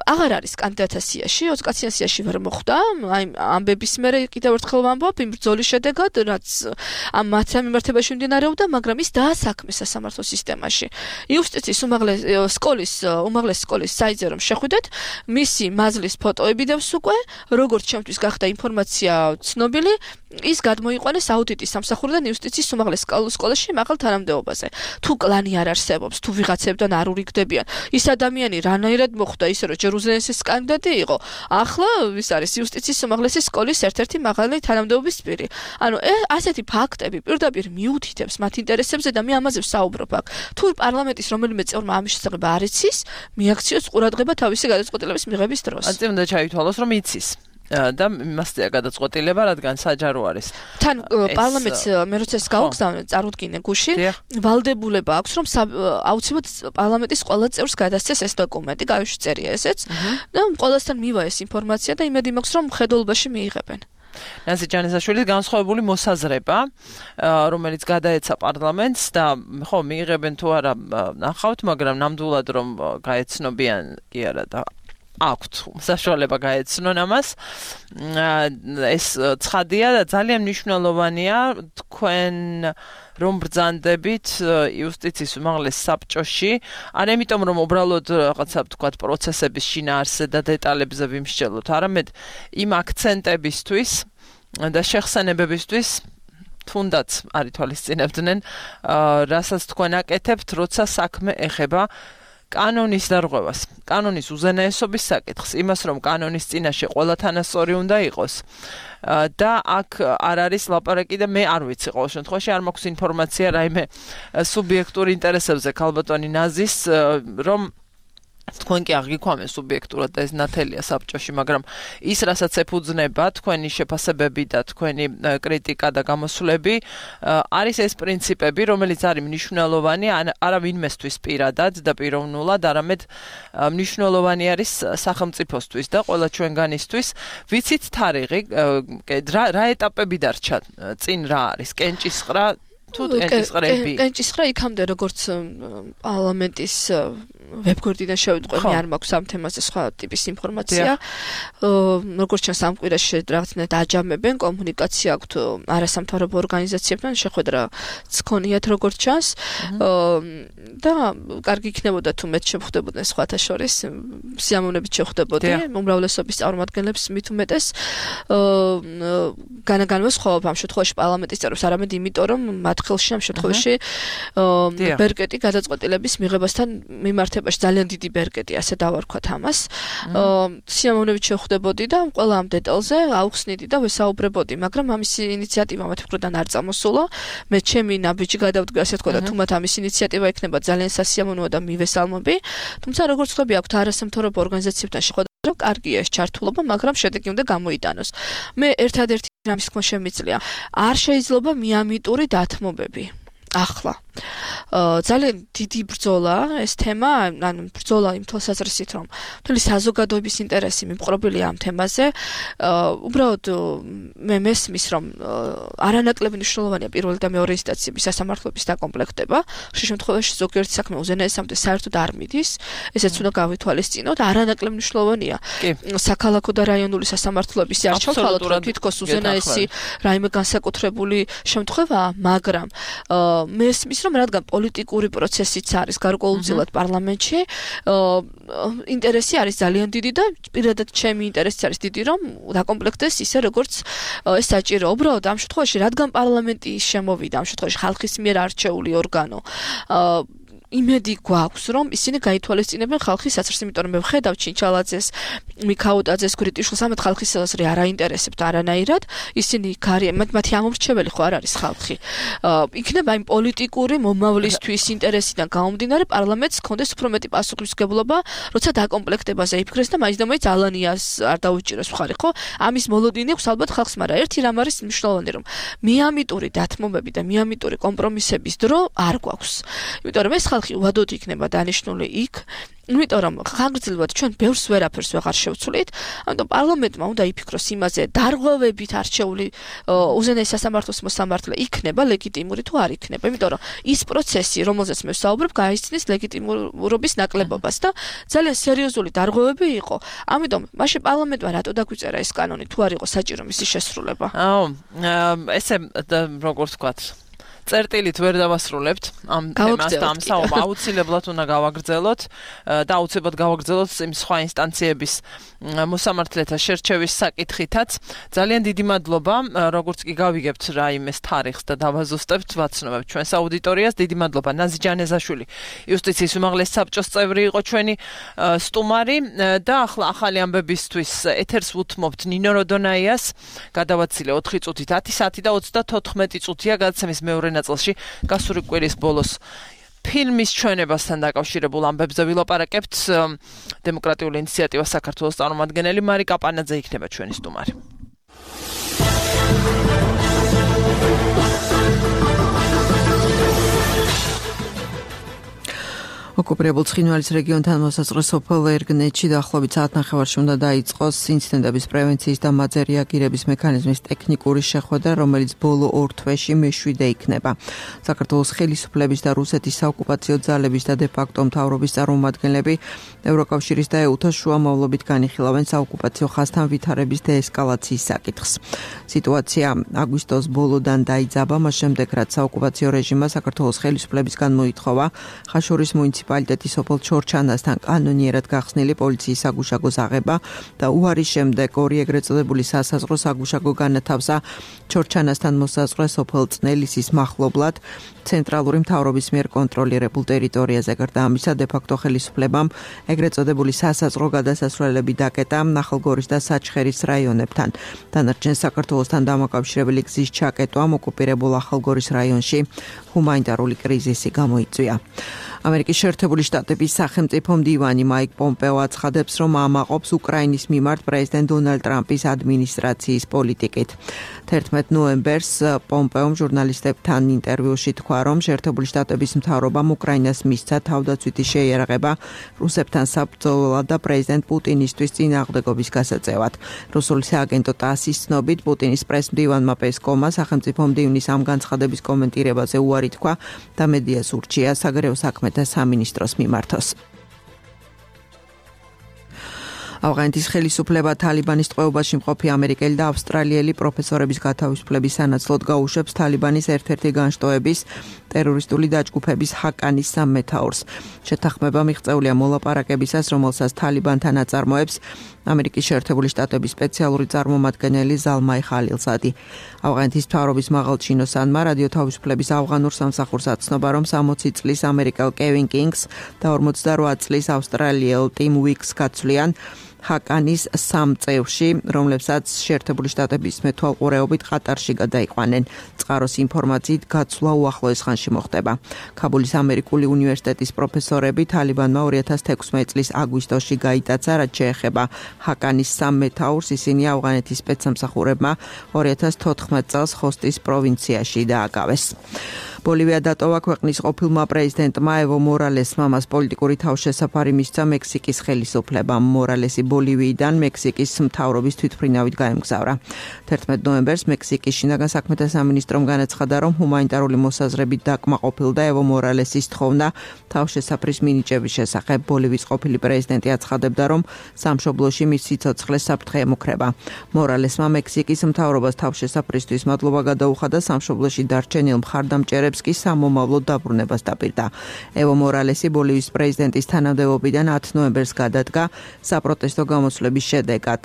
S3: აღარ არის კანდიდატთა სიაში, 20 კაციან სიაში ვერ მოხვდა. აი ამბების მერე კიდევ ერთხელ ვამბობ, იმ ბრძოლის შედეგად, რაც ამ მათთან მიმართებაში მიმდინარეობდა, მაგრამ ის დაასაქმეს სასამართლო სისტემაში. იუსტიციის უმაღლესი სკოლის საიტზე რომ შეხვიდეთ, მისი მაზლის ფოტოები დევს უკვე, როგორც ჩემთვის გახდა ინფორმაცია ცნობილი, ის გადმოიყვანეს აუდიტის სამსახურიდან იუსტიციის უმაღლეს სკოლაში მაღალ თანამდებობაზე. თუ კლანი არ არსებობს, თუ ვიღაცებთან არ ურიგდებიან, ის ადამიანი რანაირად მოხვდა ისე რომ ჯერ უზენაესის კანდიდატი იყო, ახლა ის არის იუსტიციის უმაღლესი სკოლის ერთ-ერთი მაღალი თანამდებობის პირი. ანუ ასეთი ფაქტები პირდაპირ მიუთითებს მათ ინტერესებზე და მე ამაზე ვსაუბრობ აქ. თუ პარლამენტის რომელიმე წევრმა ამის შესახებ არ იცის, მიაქციოს მიუწიოს ყურადღება თავისი გადაწყვეტილების მიღების დროს.
S2: ასე უნდა ჩაითვალოს, რომ იცის და იმასია გადაწყვეტილება, რადგან საჯარო არის.
S3: თან პარლამენტს მე როცა ეს გავგზავნე, წარუდგინე გუში, ვალდებულება აქვს, რომ აუცილებლად პარლამენტის ყველა წევრს გადასცეს ეს დოკუმენტი, გავიშვიწერია ესეც და ყველასთან მივა ეს ინფორმაცია და იმედი მაქვს, რომ მხედველობაში მიიღებენ.
S2: ნაზი ჯანესაშვილის განსხვავებული მოსაზრება, რომელიც გადაეცა პარლამენტს და ხო მიიღებენ თუ არა ნახავთ, მაგრამ ნამდვილად რომ გაეცნობიან კი არა და აქვთ საშუალება გაეცნონ ამას. ეს ცხადია და ძალიან მნიშვნელოვანია თქვენ რომ ბრძანდებით იუსტიციის უმაღლეს საბჭოში, არ ამიტომ რომ უბრალოდ რაღაცა თქვათ პროცესების შინაარსზე და დეტალებზე ვიმსჯელოთ, არამედ იმ აქცენტებისთვის და შეხსენებებისთვის თუნდაც არ ითვალისწინებდნენ, რასაც თქვენ აკეთებთ, როცა საქმე ეხება კანონის დარღვევას, კანონის უზენაესობის საკითხს, იმას რომ კანონის წინაშე ყველა თანასწორი უნდა იყოს და აქ არ არის ლაპარაკი და მე არ ვიცი ყოველ შემთხვევაში არ მაქვს ინფორმაცია რაიმე სუბიექტურ ინტერესებზე ქალბატონი ნაზის რომ თქვენ კი აღიქვამენ სუბიექტურად და ეს ნათელია საბჭოში, მაგრამ ის რასაც ეფუძნება თქვენი შეფასებები და თქვენი კრიტიკა და გამოსვლები არის ეს პრინციპები, რომელიც არის მნიშვნელოვანი არა ვინმესთვის პირადად და პიროვნულად, არამედ მნიშვნელოვანი არის სახელმწიფოსთვის და ყველა ჩვენგანისთვის. ვიცით თარიღი, რა ეტაპები დარჩა წინ რა არის? კენჭისყრა თუ კენჭისყრები?
S3: კენჭისყრა იქამდე როგორც პარლამენტის ვებგვერდიდან შევიტყვი, არ მაქვს ამ თემაზე სხვა ტიპის ინფორმაცია. როგორც ჩანს ამ კვირაში რაღაცნაირად აჯამებენ, კომუნიკაცია აქვთ არასამთავრობო ორგანიზაციებთან, შეხვედრაც ქონიათ როგორც ჩანს. და კარგი იქნებოდა თუ მეც შევხვდებოდნენ სხვათა შორის, სიამოვნებით შევხვდებოდი, უმრავლესობის წარმომადგენლებს მით უმეტეს. განაგანვას ხოვობ ამ შემთხვევაში პარლამენტის წევრებს, არამედ იმიტომ რომ მათ ხელში ამ შემთხვევაში ბერკეტი გადაწყვეტილების მიღებასთან მიმართებაში ძალიან დიდი ბერკეტი, ასე დავარქვათ ამას. სიამოვნებით შევხვდებოდი და ყველა ამ დეტალზე აუხსნიდი და ვესაუბრებოდი, მაგრამ ამის ინიციატივა მათ მხრიდან არ წამოსულა. მე ჩემი ნაბიჯი გადავდგა, ასე თქვა და თუ მათ ამის ინიციატივა ექნება ძალიან სასიამოვნოა და მივესალმები. თუმცა როგორც ხვდები, აქვთ არასამთავრობო ორგანიზაციებთან შეხვედრა, კარგია ეს ჩართულობა, მაგრამ შედეგი უნდა გამოიტანოს. მე ერთადერთი რამის თქმა შემიძლია, არ შეიძლება მიამიტური დათმობები. ახლა ძალიან დიდი ბრძოლა ეს თემა, ანუ ბრძოლა იმ თვალსაზრისით, რომ მთელი საზოგადოების ინტერესი მიმყრობილია ამ თემაზე. უბრალოდ მე მესმის, რომ არანაკლები მნიშვნელოვანია პირველი და მეორე ინსტანციების სასამართლოების დაკომპლექტება. ხშირ შემთხვევაში ზოგიერთი საქმე უზენაესამდე საერთოდ არ მიდის, ესეც უნდა გავითვალისწინოთ. არანაკლები მნიშვნელოვანია საქალაქო და რაიონული სასამართლოების არჩევთვალოთ, რომ თითქოს უზენაესი რაიმე განსაკუთრებული შემთხვევაა, მაგრამ მესმის, რომ რადგან პოლიტიკური პროცესიც არის გარკვეულწილად პარლამენტში, ინტერესი არის ძალიან დიდი და პირადად ჩემი ინტერესიც არის დიდი, რომ დაკომპლექტდეს ისე როგორც ეს საჭირო. უბრალოდ ამ შემთხვევაში, რადგან პარლამენტი შემოვიდა, ამ შემთხვევაში ხალხის მიერ არჩეული ორგანო, იმედი გვაქვს, რომ ისინი გაითვალისწინებენ ხალხის საცერს, იმიტომ რომ მე ვხედავ ჩინჩალაძეს, მიქაუტაძეს, გრიტიშვილს, ამათ ხალხის საცერი არ აინტერესებთ არანაირად, ისინი მათი ამორჩეველი ხო არ არის ხალხი. იქნება იმ პოლიტიკური მომავლისთვის ინტერესიდან გამომდინარე პარლამენტს კონდეს უფრო მეტი პასუხისმგებლობა, როცა დაკომპლექტებაზე იფიქრეს და მაინც და მაინც ალანიას არ დაუჭიროს მხარი, ხო? ამის მოლოდინი აქვს ალბათ ხალხს, მაგრამ ერთი რამ არის მნიშვნელოვანი, რომ მიამიტური დათმობები და მიამიტური კომპრომისების დრო არ გვაქვს. იმიტომ რომ ეს ხალხი უადოდ იქნება დანიშნული იქ, იმიტომ რომ ხანგრძლივად ჩვენ ბევრს ვერაფერს ვეღარ შევცვლით, ამიტომ პარლამენტმა უნდა იფიქროს იმაზე, დარღვევებით არჩეული უზენაეს სასამართლოს მოსამართლე იქნება ლეგიტიმური თუ არ იქნება, იმიტომ რომ ის პროცესი, რომელზეც მე ვსაუბრებ, გაიცნის ლეგიტიმურობის ნაკლებობას და ძალიან სერიოზული დარღვევები იყო. ამიტომ მაშინ პარლამენტმა რატო დაგვიწერა ეს კანონი, თუ არ იყო საჭირო მისი შესრულება?
S2: ესე როგორც ვთქვათ, წერტილით ვერ დავასრულებთ ამ თემას და ამ საუბარს აუცილებლად უნდა გავაგრძელოთ და აუცილებლად გავაგრძელოთ იმ სხვა ინსტანციების მოსამართლეთა შერჩევის საკითხითაც. ძალიან დიდი მადლობა, როგორც კი გავიგებთ რაიმეს თარიღს და დავაზუსტებთ, ვაცნობებთ ჩვენს აუდიტორიას. დიდი მადლობა ნაზი ჯანეზაშვილი, იუსტიციის უმაღლეს საბჭოს წევრი იყო ჩვენი სტუმარი და ახლა ახალი ამბებისთვის ეთერს უთმობთ ნინო როდონაიას. გადავაცილე 4 წუთით 10 საათი და 34 წუთია გადაცემის მეორე ნაწილში გასული კვირის ბოლოს ფილმის ჩვენებასთან დაკავშირებულ ამბებზე ვილაპარაკებთ. დემოკრატიული ინიციატივა საქართველოს წარმომადგენელი მარიკა პანაძე იქნება ჩვენი სტუმარი.
S4: ოკუპირებულ ცხინვალის რეგიონთან მოსაზღვრე სოფელ ერგნეთში დაახლოებით საათნახევარში უნდა დაიწყოს ინციდენტების პრევენციის და მათზე რეაგირების მექანიზმის ტექნიკური შეხვედრა, რომელიც ბოლო 2 თვეში მეშვიდე იქნება. საქართველოს ხელისუფლების და რუსეთის საოკუპაციო ძალების და დე-ფაქტო მთავრობის წარმომადგენლები ევროკავშირის და EU-თან შუამავლობით განიხილავენ საოკუპაციო ხაზთან ვითარების დეესკალაციის საკითხს. სიტუაცია აგვისტოს ბოლოდან დაიძაბა, მას შემდეგ რაც საოკუპაციო რეჟიმმა საქართველოს ხელისუფლებისგან მოითხოვა ხაშურის მუნიციპალიტეტის სოფელ ჩორჩანასთან კანონიერად გახსნილი პოლიციის საგუშაგოს აღება და უარის შემდეგ ორი ეგრეთ წოდებული სასაზღვრო საგუშაგო განათავსა ჩორჩანასთან მოსაზღვრე სოფელ წნელისის მახლობლად ცენტრალური მთავრობის მიერ კონტროლირებულ ტერიტორიაზე. გარდა ამისა, დე-ფაქტო ხელისუფლებამ ეგრეთ წოდებული სასაზღვრო გადასასვლელები დაკეტა ნახალგორის და საჩხერის რაიონებთან. დანარჩენ საქართველოსთან დამაკავშირებელი გზის ჩაკეტვამ ოკუპირებულ ახალგორის რაიონში ჰუმანიტარული კრიზისი გამოიწვია. ამერიკის შეერთებული შტატების სახელმწიფო მდივანი მაიკ პომპეო აცხადებს, რომ ამაყობს უკრაინის მიმართ პრეზიდენტ დონალდ ტრამპის ადმინისტრაციის პოლიტიკით. 11 ნოემბერს პომპეომ ჟურნალისტებთან ინტერვიუში თქვა, რომ შეერთებული შტატების მთავრობამ უკრაინას მისცა თავდაცვითი შეიარაღება რუსებთან საბრძოლველად და პრეზიდენტ პუტინისთვის წინააღმდეგობის გასაწევად. რუსული სააგენტო TASS-ის ცნობით, პუტინის პრეს-მდივანმა პესკოვმა სახელმწიფო მდივნის ამ განცხადების კომენტირებაზე უარი თქვა და მედიას ურჩია საგარეო საქმეთა სამინისტროს მიმართოს. ავღანეთის ხელისუფლება თალიბანის ტყვეობაში მყოფი ამერიკელი და ავსტრალიელი პროფესორების გათავისუფლების სანაცვლოდ გაუშვებს თალიბანის ერთ-ერთი განშტოების ტერორისტული დაჯგუფების ჰაკანის სამმეთაურს. შეთანხმება მიღწეულია მოლაპარაკებისას, რომელსაც თალიბანთან აწარმოებს ამერიკის შეერთებული შტატების სპეციალური წარმომადგენელი ზალმაი ხალილზადი. ავღანეთის მთავრობის მაღალჩინოსანმა რადიო თავისუფლების ავღანურ სამსახურს აცნობა, რომ 60 წლის ამერიკელ კევინ კინგს და 48 წლის ავსტრალიელ ტიმ უიკს გაცვლიან ჰაკანის 3 წევრში, რომლებსაც შეერთებული შტატების მეთვალყურეობით ყატარში გადაიყვანენ. წყაროს ინფორმაციით გაცვლა უახლოეს ხანში მოხდება. ქაბულის ამერიკული უნივერსიტეტის პროფესორები თალიბანმა 2016 წლის აგვისტოში გაიტაცა, რაც შეეხება ჰაკანის 3 მეთაურს, ისინი ავღანეთის სპეცსამსახურებმა 2014 წელს ხოსტის პროვინციაში დააკავეს. ბოლივია დატოვა ქვეყნის ყოფილმა პრეზიდენტმა ევო მორალესმა, მას პოლიტიკური თავშესაფარი მისცა მექსიკის ხელისუფლებამ. მორალესი ბოლივიიდან მექსიკის მთავრობის თვითმფრინავით გაემგზავრა. 11 ნოემბერს მექსიკის შინაგან საქმეთა სამინისტრომ განაცხადა, რომ ჰუმანიტარული მოსაზრებით დაკმაყოფილდა ევო მორალესის თხოვნა თავშესაფრის მინიჭების შესახებ. ბოლივიის ყოფილი პრეზიდენტი აცხადებდა, რომ სამშობლოში მის სიცოცხლეს საფრთხე ემუქრება. მორალესმა მექსიკის მთავრობას თავშესაფრისთვის მადლობა გადაუხადა, სამშობლოში დარჩენილ მხარდამჭერებს კი სამომავლო დაბრუნებას დაპირდა. ევო მორალესი ბოლივიის პრეზიდენტის თანამდებობიდან 10 ნოემბერს გადადგა საპროტესტო გამოსვლების შედეგად.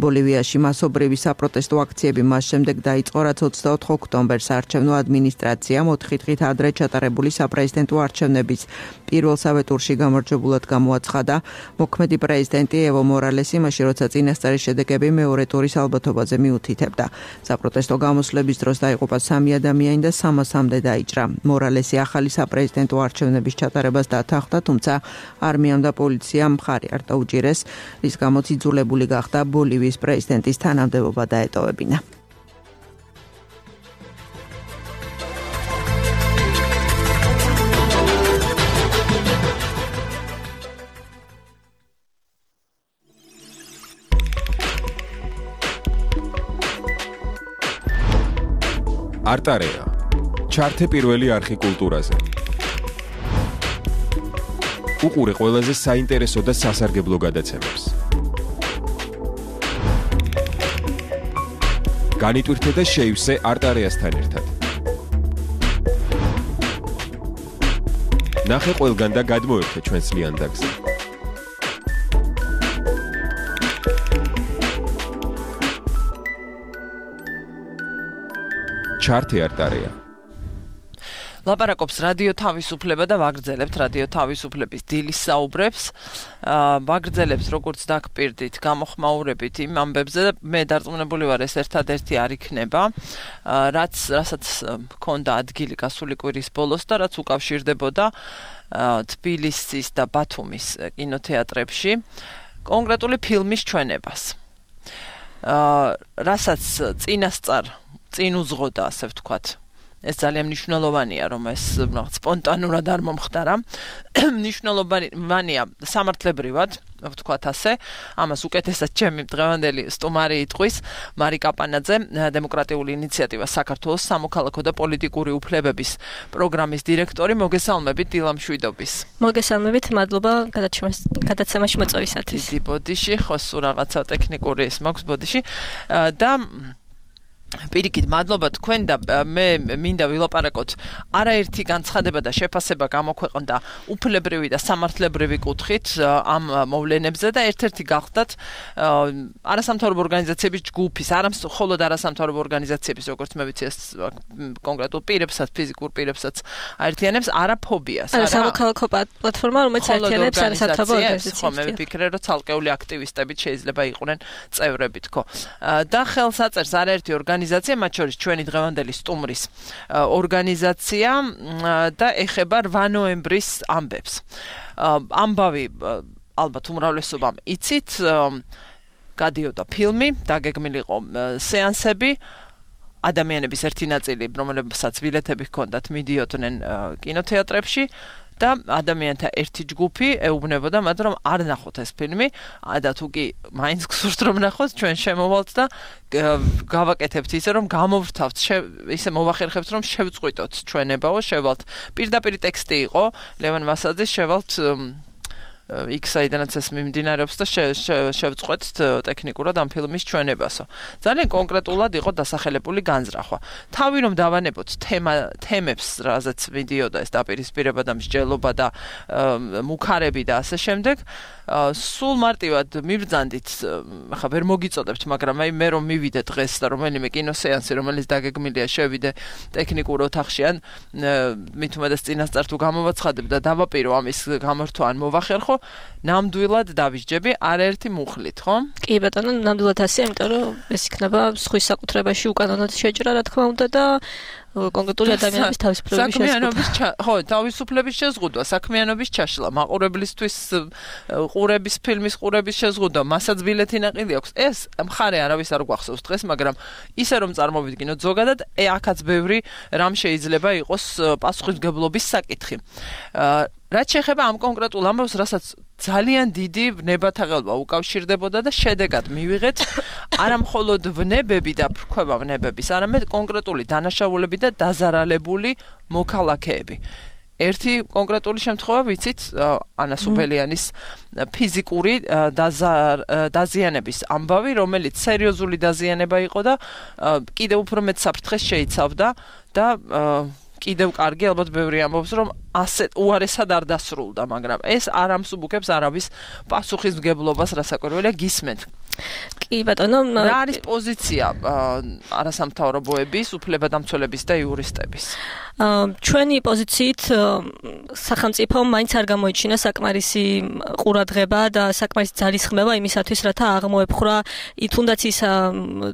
S4: ბოლივიაში მასობრივი საპროტესტო აქციები მას შემდეგ დაიწყო, რაც 24 ოქტომბერს არჩევნო ადმინისტრაციამ 4 დღით ადრე ჩატარებული საპრეზიდენტო არჩევნების პირველსავე ტურში გამარჯვებულად გამოაცხადა. მოქმედი პრეზიდენტი ევო მორალესი მაშინ, როცა წინასწარი შედეგები მეორე ტურის ალბათობაზე მიუთითებდა. საპროტესტო გამოსვლების დროს დაიღუპა 3 ადამიანი და 300-მდე დაიჭრა. მორალესი ახალი საპრეზიდენტო არჩევნების ჩატარებას დათანხმდა, თუმცა არმიამ და პოლიციამ მხარი არ დაუჭირეს, რის გამოც იძულებული გახდა ბოლივიის პრეზიდენტის თანამდებობა დაეტოვებინა.
S5: არტარეა ჩართე პირველი არხი კულტურაზე. უყურე ყველაზე საინტერესო და სასარგებლო გადაცემებს. განიტვირთე და შეივსე არტარეასთან ერთად. ნახე ყველგან და გადმოერთე ჩვენს ლიანდაგზე. ჩართე არტარეა.
S2: ლაპარაკობს რადიო თავისუფლება და ვაგრძელებთ რადიო თავისუფლების დილის საუბრებს. ვაგრძელებს როგორც დაგპირდით, გამოხმაურებით იმ ამბებზე და მე დარწმუნებული ვარ ეს ერთადერთი არ იქნება, რასაც მქონდა ადგილი გასული კვირის ბოლოს და რაც უკავშირდებოდა თბილისის და ბათუმის კინოთეატრებში კონკრეტული ფილმის ჩვენებას. რასაც წინ უძღოდა, ასე ვთქვათ. ეს ძალიან მნიშვნელოვანია, რომ ეს სპონტანურად არ მომხდარა. მნიშვნელოვანია სამართლებრივად, ვთქვათ ასე, ამას უკეთესად ჩემი დღევანდელი სტუმარი იტყვის, მარიკა პანაძე, დემოკრატიული ინიციატივა საქართველოს სამოქალაქო და პოლიტიკური უფლებების პროგრამის დირექტორი. მოგესალმებით დილამშვიდობის.
S6: მოგესალმებით, მადლობა გადაცემაში მოწვევისათვის.
S2: დიდი ბოდიში, ხო სულ რაღაცა ტექნიკური ის მაქვს ბოდიში და პირიქით, მადლობა თქვენ და მე მინდა ვილაპარაკოთ არაერთი განცხადება და შეფასება გამოქვეყნდა უფლებრივი და სამართლებრივი კუთხით ამ მოვლენებზე და ერთ-ერთი გახდათ არასამთავრობო ორგანიზაციების ჯგუფის, მხოლოდ არასამთავრობო ორგანიზაციების, როგორც მე ვიცი, ეს კონკრეტულ პირებსაც, ფიზიკურ პირებსაც აერთიანებს არაფობიას.
S6: სამოქალაქო პლატფორმა, რომელიც აერთიანებს არასამთავრობო ორგანიზაციებს.
S2: ხო, მე ვფიქრე, რომ ცალკეული აქტივისტებიც შეიძლება იყვნენ წევრები, თქო. და ხელს აწერს არაერთი ორგანიზაცია, მათ შორის ჩვენი დღევანდელი სტუმრის ორგანიზაცია და ეხება 8 ნოემბრის ამბებს. ამბავი ალბათ უმრავლესობამ იცით, გადიოდა ფილმი, დაგეგმილი იყო სეანსები, ადამიანების ერთი ნაწილი, რომელსაც ბილეთები ჰქონდათ, მიდიოდნენ კინოთეატრებში და ადამიანთა ერთი ჯგუფი ეუბნებოდა მათ, რომ არ ნახოთ ეს ფილმი და თუ კი მაინც გსურთ რომ ნახოთ, ჩვენ შემოვალთ და გავაკეთებთ ისე, რომ გამოვრთავთ, ისე მოვახერხებთ, რომ შევწყვიტოთ ჩვენებაო, შევალთ. პირდაპირ ტექსტი იყო ლევან მასაძის, შევალთ იქ საიდანაც ეს მიმდინარეობს და შევწყვეტთ ტექნიკურად ამ ფილმის ჩვენებასო. ძალიან კონკრეტულად იყო დასახელებული განზრახვა. თავი რომ დავანებოთ თემებს, რაზეც მიდიოდა ეს დაპირისპირება და მსჯელობა და მუქარები და ასე შემდეგ, სულ მარტივად მიბრძანდით, ხა ვერ მოგიწოდებთ, მაგრამ აი მე რომ მივიდე დღეს და რომელიმე კინოსეანსი, რომელიც დაგეგმილია, შევიდე ტექნიკურ ოთახში ან მით უმეტეს წინასწარ თუ გამოვაცხადებ და დავაპირო ამის გამართვა ან მოვახერხო, ნამდვილად დავისჯები არაერთი მუხლით, ხო?
S6: კი ბატონო, ნამდვილად ასე, იმიტომ რომ ეს იქნება სხვის საკუთრებაში უკანონოდ შეჭრა, რა თქმა უნდა და კონკრეტული ადამიანების თავისუფლების შეზღუდვა.
S2: ხო, თავისუფლების შეზღუდვა, საქმიანობის ჩაშლა, მაყურებლისთვის ყურების ფილმის ყურების შეზღუდვა, მასაც ბილეთი ნაყიდი აქვს. ეს მხარე არავის არ გვახსოვს დღეს, მაგრამ ისე რომ წარმოვიდგინოთ ზოგადად, აქაც ბევრი რამ შეიძლება იყოს პასუხისმგებლობის საკითხი. რაც შეეხება ამ კონკრეტულ ამბავს, რასაც ძალიან დიდი ვნებათაღელვა უკავშირდებოდა და შედეგად მივიღეთ არა მხოლოდ ვნებები და ფრქვება ვნებების, არამედ კონკრეტული დანაშაულები და დაზარალებული მოქალაქეები. ერთი კონკრეტული შემთხვევა ვიცით, ანა სუბელიანის ფიზიკური დაზიანების ამბავი, რომელიც სერიოზული დაზიანება იყო და კიდევ უფრო მეტ საფრთხეს შეიცავდა და კიდევ კარგი, ალბათ ბევრი ამბობს, რომ ასე უარესად არ დასრულდა, მაგრამ ეს არ ამსუბუქებს არავის პასუხისმგებლობას, რასაკვირველია გისმენთ.
S6: კი ბატონო,
S2: რა არის პოზიცია არასამთავრობოების, უფლებადამცველების და იურისტების?
S6: ჩვენი პოზიციით სახელმწიფომ მაინც არ გამოიჩინა საკმარისი ყურადღება და საკმარისი ძალისხმევა იმისათვის, რათა აღმოეფხვრა თუნდაც ის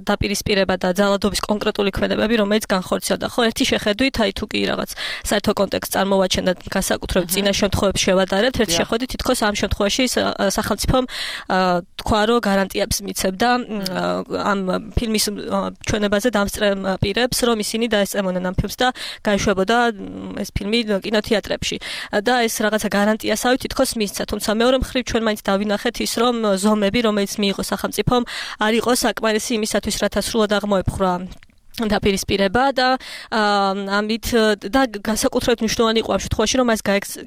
S6: დაპირისპირება და ძალადობის კონკრეტული ქმედებები, რომელიც განხორციელდა. ხო, ერთი შეხედვით, აი თუ კი რაღაც საერთო კონტექსტს წარმოვაჩენდა განსაკუთრებით წინა შემთხვევებში შევადარებთ, ერთი შეხედვით თითქოს ამ შემთხვევაში სახელმწიფომ თქვა, რომ გარანტიებს მიცემდა ამ ფილმის ჩვენებაზე დამსწრე პირებს, რომ ისინი დაესწრებოდნენ ამ ფილმს და გაეშვებოდა ეს ფილმი კინოთეატრებში. და ეს რაღაცა გარანტიასავით თითქოს მისცა, თუმცა მეორე მხრივ ჩვენ მაინც დავინახეთ ის, რომ ზომები, რომელიც მიიღო სახელმწიფომ, არ იყო საკმარისი იმისათვის, რათა სრულად აღმოეფხვრა დაპირისპირება და ამით და განსაკუთრებით მნიშვნელოვანი იყო ამ შემთხვევაში, რომ მას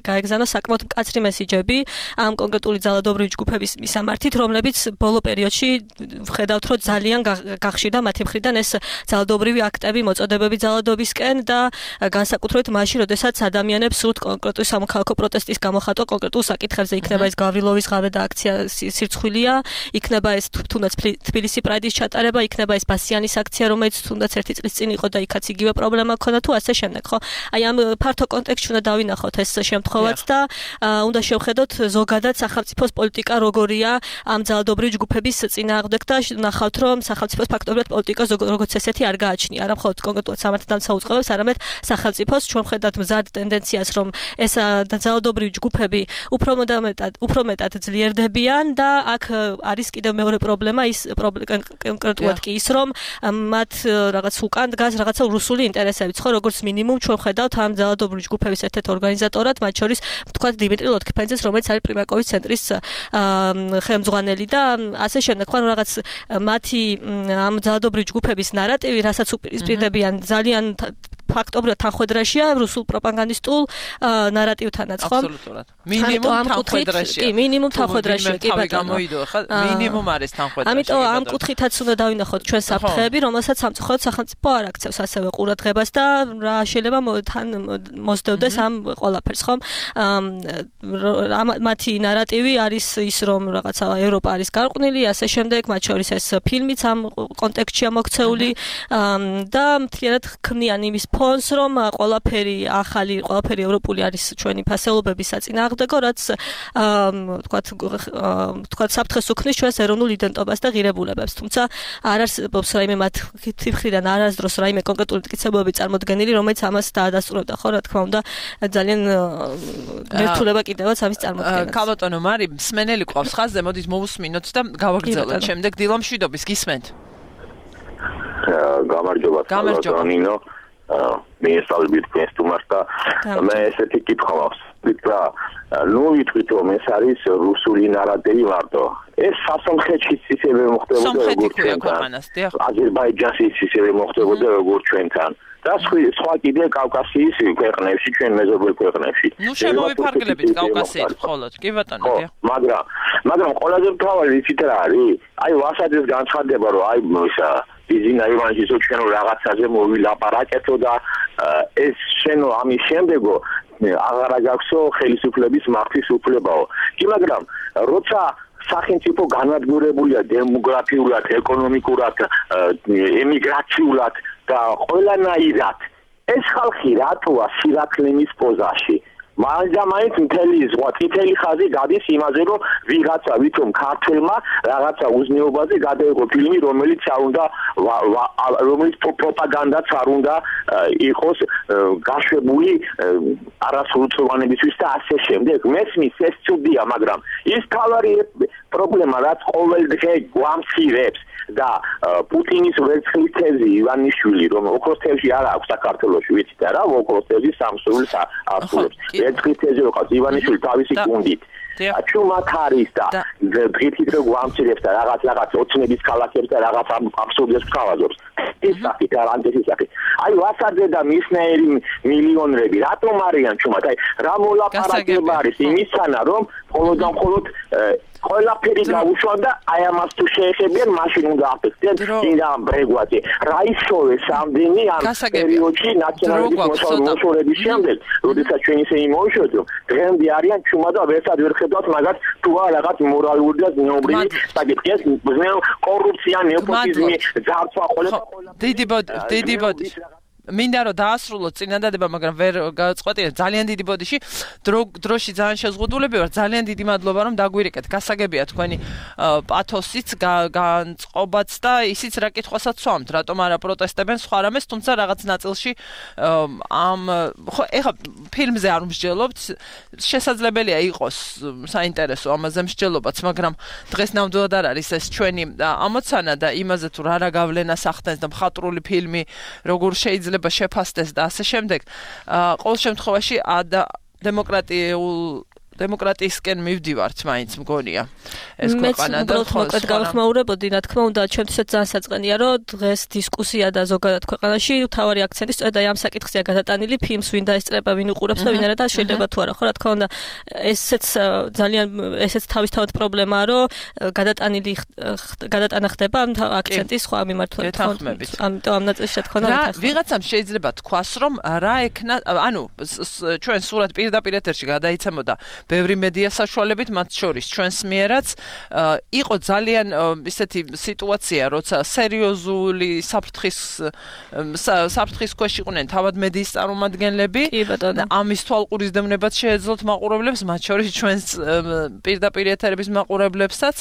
S6: გაეგზავნა საკმაოდ მკაცრი მესიჯები ამ კონკრეტული ძალადობრივი ჯგუფების მისამართით, რომლებიც ბოლო პერიოდში ვხედავთ, რომ ძალიან გახშირდა მათი მხრიდან ეს ძალადობრივი აქტები, მოწოდებები ძალადობისკენ და განსაკუთრებით მაშინ, როდესაც ადამიანებს სურთ კონკრეტული სამოქალაქო პროტესტის გამოხატვა კონკრეტულ საკითხებზე, იქნება ეს გავრილოვის ღამე და აქცია სირცხვილია, იქნება ეს თუნდაც თბილისი პრაიდის ჩატარება, იქნება ეს ბასიანის აქცია, რომელიც თუნდაც 1 წლის წინ იყო და იქაც იგივე პრობლემა ჰქონდა თუ ასე შემდეგ, ხო? აი ამ ფართო კონტექსტში უნდა დავინახოთ ეს შემთხვევაც და უნდა შევხედოთ ზოგადად სახელმწიფოს პოლიტიკა როგორია ამ ძალადობრივი ჯგუფების წინააღმდეგ და ნახავთ რომ სახელმწიფოს ფაქტობრივად პოლიტიკა როგორც ესეთი არ გააჩნია, არა მხოლოდ კონკრეტულად სამართალთან საუწყობებს, არამედ სახელმწიფოს ჩვენ ხედავთ მზად ტენდენციას რომ ეს ძალადობრივი ჯგუფები უფრო მეტად ძლიერდებიან და აქ არის კიდევ მეორე პრობლემა ის კონკრეტულად კი ის რომ მათ რაღაც უკან დგას რაღაცა რუსული ინტერესებიც ხო როგორც მინიმუმ ჩვენ ხედავთ ამ ძალადობრივი ჯგუფების ერთ-ერთ ორგანიზატორად მათ შორის თქვა დიმიტრი ლოტქიფანიძეს რომელიც არის პრიმაკოვის ცენტრის ხელმძღვანელი და ასე შემდეგ ხო რაღაც მათი ამ ძალადობრივი ჯგუფების ნარატივი რასაც უპირისპირდებიან ძალიან ფაქტობრივად თანხმედრაშია რუსულ პროპაგანდისტულ ნარატივთანაც ხო?
S2: აბსოლუტურად. მინიმუმ თანხმედრაშია.
S6: კი, მინიმუმ თანხმედრაშია, კი
S2: ბატონო. გამოიდო ხა მინიმუმ არის თანხმედრაშია.
S6: ამიტომ ამ კუთხითაც უნდა დავინახოთ ჩვენ საფრთხეები, რომელსაც სამწუხაროდ სახელმწიფო არ აქცევს ასევე ყურადღებას და რა შეიძლება თან მოსდევდეს ამ ყველაფერს, ხო? მათი ნარატივი არის ის რომ რაღაცა ევროპა არის გარყვნილი, ასე შემდეგ, მათ შორის ეს ფილმიც ამ კონტექსტშია მოქცეული და მთლიანად ქმნიან იმის ფონს რომ ყველაფერი ახალი, ყველაფერი ევროპული არის ჩვენი ფასეულობების საწინააღმდეგო, რაც თქვათ საფრთხეს უქმნის ჩვენს ეროვნულ იდენტობას და ღირებულებებს. თუმცა არ არსებობს რაიმე მათ თითხრიდან არასდროს რაიმე კონკრეტული მტკიცებულებები წარმოდგენილი, რომელიც ამას დაადასტურებდა, ხო, რა თქმა უნდა, ძალიან ერთულება კიდევაც ამის წარმოდგენას.
S2: ქალბატონო მარი, მსმენელი ყავს ხაზზე, მოდით მოვუსმინოთ და გავაგრძელოთ. შემდეგ დილა მშვიდობის გისმენთ.
S7: გამარჯობა, ნინო. მე სწავლობთ ქესტუმარს და მე ესეთი კითხვა მაქვს. და ნუ ვიტყვით რომ ეს არის რუსული ნარატივი მარტო. ეს სასომხეთშიც ისევე მოხდებოდა როგორც ჩვენთან. აზერბაიჯანშიც ისევე მოხდებოდა როგორც ჩვენთან. და სხვა კიდე კავკასიის ქვეყნებში, ჩვენ მეზობელ ქვეყნებში.
S2: ნუ შემოვიფარგლებით კავკასიით მხოლოდ, კი ბატონო, დიახ.
S7: მაგრამ ყველაზე მთავარი ვიცით რა არის? აი ვასადეს განცხადება რომ აი ისა ბიზინა ივანჯისო ჩვენ რაღაცაზე მოვილაპარაკეთო და ეს შენო ამის შემდეგო აღარ აგაქვსო ხელისუფლების მართვის უფლებაო. კი მაგრამ როცა სახელმწიფო განადგურებულია დემოგრაფიულად, ეკონომიკურად, ემიგრაციულად და ყველანაირად ეს ხალხი რატოა სირაქლემის პოზაში? მაინც მთელი ზღვა წითელი ხაზი გადის იმაზე რომ ვიღაცა ვითომ ქართველმა რაღაცა უზნეობაზე გადაიღო ფილმი რომელიც პროპაგანდაც არ უნდა იყოს გაშვებული არასრულწლოვანებისთვის და ასე შემდეგ. მესმის ეს ცუდია, მაგრამ ის თავარი პრობლემა რაც ყოველ დღე გვამცირებს და პუტინის ვერცხლის თევზი ივანიშვილი რომ ოქროს თევზი არ აქვს საქართველოში ვიცით რა ოქროს თევზი სამსულის ასულებს ვერცხლის თევზი როყავს ივანიშვილი თავისი გუნდით ჩუმად არის და დღითით რო გვამცირებს და რაღაც ოცნების ქალაქებს და რაღაც აბსურდებს ხავაზობს ეს საკი გარანტიის საკი აი ვასაძე და მისნაირი მილიონრები რატომ არიან ჩუმად აი რა მოლაპარაკება არის იმისთანა რომ მხოლოდ ყველაფერი გაუშვან და აი ამას თუ შეეხებიან მაშინ უნდა აფეთქდნენ წინა ბრეგვაზე რა ისოვე სამდენი ამ პერიოდში ნაციონალიზმის მოსულების შემდეგ როდესაც ჩვენ ისე იმოუშვეთ რომ დღემდე არიან ჩუმად და ვერცად ვერ ხედავთ მაგათ თუ რაღაც მორალური და ზნეობრივი საკითხია კორუფცია ნეოპოტიზმი ძარცვა
S2: დიდი ბოდი მინდა რომ დაასრულოთ წინადადება, მაგრამ ვერ გავწყვეტია ძალიან დიდი ბოდიში. დროში ძალიან შეზღუდულები ვარ. ძალიან დიდი მადლობა რომ დაგვირეკეთ. გასაგებია თქვენი პათოსიც, განწყობაც და ისიც რა კითხვასაც ვამთ, რატომ არა პროტესტებენ სხვა რამეს, თუმცა რაღაც ნაწილში ხო ეხლა ფილმზე არ მსჯელობთ, შესაძლებელია იყოს საინტერესო ამაზე მსჯელობაც, მაგრამ დღეს ნამდვილად არ არის ეს ჩვენი ამოცანა და იმაზე თუ რა გავლენას ახდენს და მხატვრული ფილმი როგორ შეიძლება შეფასდეს და ასე შემდეგ. ყოველ შემთხვევაში დემოკრატიისკენ მივდივართ, მაინც მგონია. ეს ქვეყანა და
S6: მოკლედ გავხმაურებოდი, რა თქმა უნდა, ჩემთვისაც ძალიან საწყენია, რომ დღეს დისკუსია და ზოგადად ქვეყანაში თავარი აქცენტი სწორედ ამ საკითხზეა გადატანილი, ფილმს ვინ დაესწრება, ვინ უყურებს და ვინ არა და შეიძლება თუ არა, ხო, რა თქმა უნდა, ესეც თავისთავად პრობლემაა, რომ გადატანა ხდება ამ აქცენტის სხვა მიმართულებით. ამიტომ ამ ნაწილში რა თქმა უნდა
S2: ვიღაცამ შეიძლება თქვას, რომ რა ექნა, ანუ ჩვენ სურათ პირდაპირ ეთერში გადაიცემოდა ბევრი მედია საშუალებით, მათ შორის ჩვენს მიერაც იყო ძალიან ისეთი სიტუაცია, როცა სერიოზული საფრთხის ქვეშ იყვნენ თავად მედიის წარმომადგენლები. ამის თვალყურისდევნებაც შეეძლოთ მაყურებლებს, მათ შორის ჩვენს პირდაპირ ეთერების მაყურებლებსაც.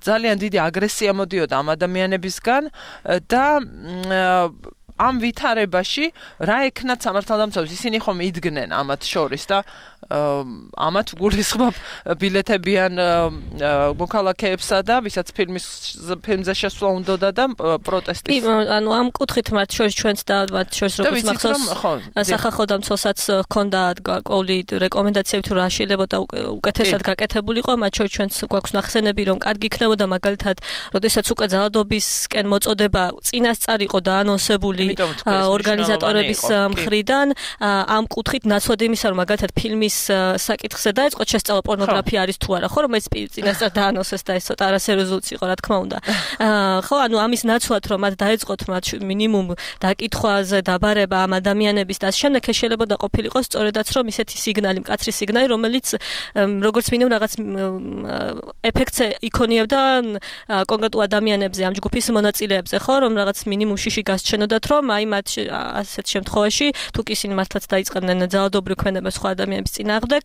S2: ძალიან დიდი აგრესია მოდიოდა ამ ადამიანებისგან და ამ ვითარებაში რა ეკნათ სამართალდამცავებს, ისინი ხომ იდგნენ ამათ შორის და ამათ გულისხმობ ბილეთებიან მოქალაქეებსა და ვისაც ფილმზე შესვლა უნდოდა და პროტესტის.
S6: ანუ ამ კუთხით მათ შორის ჩვენც და მათ შორის როგორც მახსოვს სახალხო დამცველსაც ჰქონდა ყოველი რეკომენდაციები თუ რა შეიძლება უკეთესად გაკეთებულიყო, მათ შორის ჩვენც გვაქვს ნახსენები რომ კარგი იქნებოდა მაგალითად, როდესაც უკვე ძალადობისკენ მოწოდება წინასწარ იყო დაანონსებული ორგანიზატორების მხრიდან, ამ კუთხით ნაცვლად იმისა რომ მაგალითად ფილმის საკითხზე დაიწყო შესწავლა პორნოგრაფია არის თუ არა, ხო რომ ეს წინასწარ დაანონსეს და ეს ცოტა არასერიოზულიც იყო რა თქმა უნდა. ხო, ანუ ამის ნაცვლად რომ მათ დაიწყოთ მათ მინიმუმ დაკითხვაზე დაბარება ამ ადამიანების და შემდეგ შეიძლება ყოფილიყო სწორედაც რომ ისეთი სიგნალი, მკაცრი სიგნალი, რომელიც როგორც მინიმუმ რაღაც ეფექტს იქონიებდა კონკრეტულ ადამიანებზე, ამ ჯგუფის მონაწილეებზე, ხო, რომ რაღაც მინიმუმ შიში გასჩენოდათ, რომ აი მათ ასეთ შემთხვევაში თუ კი ისინი მართლაც დაიწყებდნენ ძალადობრივ ქმედებას სხვა ადამიანების წინააღმდეგ,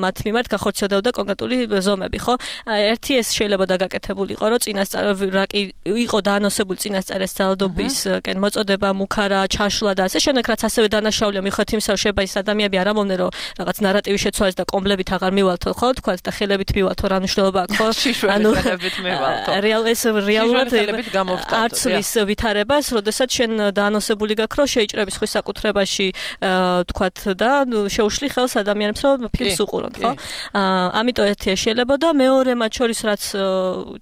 S6: მათ მიმართ გახორციელდებოდა კონკრეტული ზომები, ხო? ერთი ეს შეიძლება გაკეთებულიყო, რომ წინასწარ რა კი იყო დაანონსებული წინასწარ ეს ძალადობისკენ მოწოდება, მუქარა, ჩაშლა და ასე შემდეგ, რაც ასევე დანაშაულია მიხედვით იმისა, რომ შეიძლება ის ადამიანები არ ამბობდნენ, რომ რაღაც ნარატივი შეცვალეს და კომბლებით აღარ მივალთო, ხო? თქვათ და ხელებით მივალთო, რა მნიშვნელობა აქვს, ხო? ანუ ხელებით მივალთო. რეალურად არცლის ვითარებას, როდესაც შენ დაანონსებული გაქვს, რომ შეიჭრები სხვის საკუთრებაში, თქვათ და შეუშლი ხელს ადამიანებს, რომ ფილმს უყურონ, ხო? ამიტომ ერთი შეიძლება და მეორე მათ შორის რაც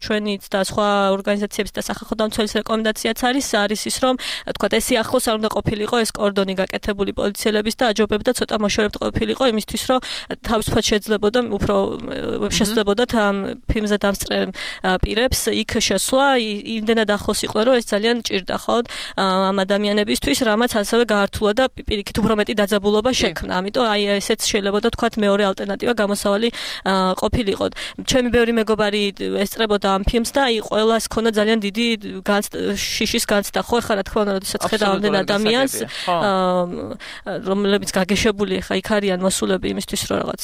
S6: ჩვენიც და სხვა ორგანიზაციების და სახალხო დამცველის რეკომენდაციაც არის ის რომ თქვათ ეს ახლოს არ უნდა ყოფილიყო ეს კორდონი გაკეთებული პოლიციელების და აჯობებდა ცოტა მოშორებთ ყოფილიყო იმისთვის რომ თავისუფლად შეძლებოდა უფრო შესაძლებოდათ ამ ფილმზე დამსწრე პირებს იქ შესვლა იმდენად ახლოს იყვნენ რომ ეს ძალიან ჭირდა ხო ამ ადამიანებისთვის რამაც ასევე გაართულა და პირიქით უფრო მეტი დაძაბულობა შექმნა ამიტომ აი ესეც შეიძლება თქვათ მეორე ალტერნატივა გამოსავალი ყოფილიყო ჩემი ბევრი მეგობარი ესწრებოდა ამ ფილმს და აი ყველას ქონდა ძალიან დიდი შიშის განცდა ხო ხა რა თქმა უნდა როდესაც ხედავ ამდენ ადამიანს რომლებიც გაგეშებული ხა იქ არიან მოსულები იმისთვის რომ რაღაც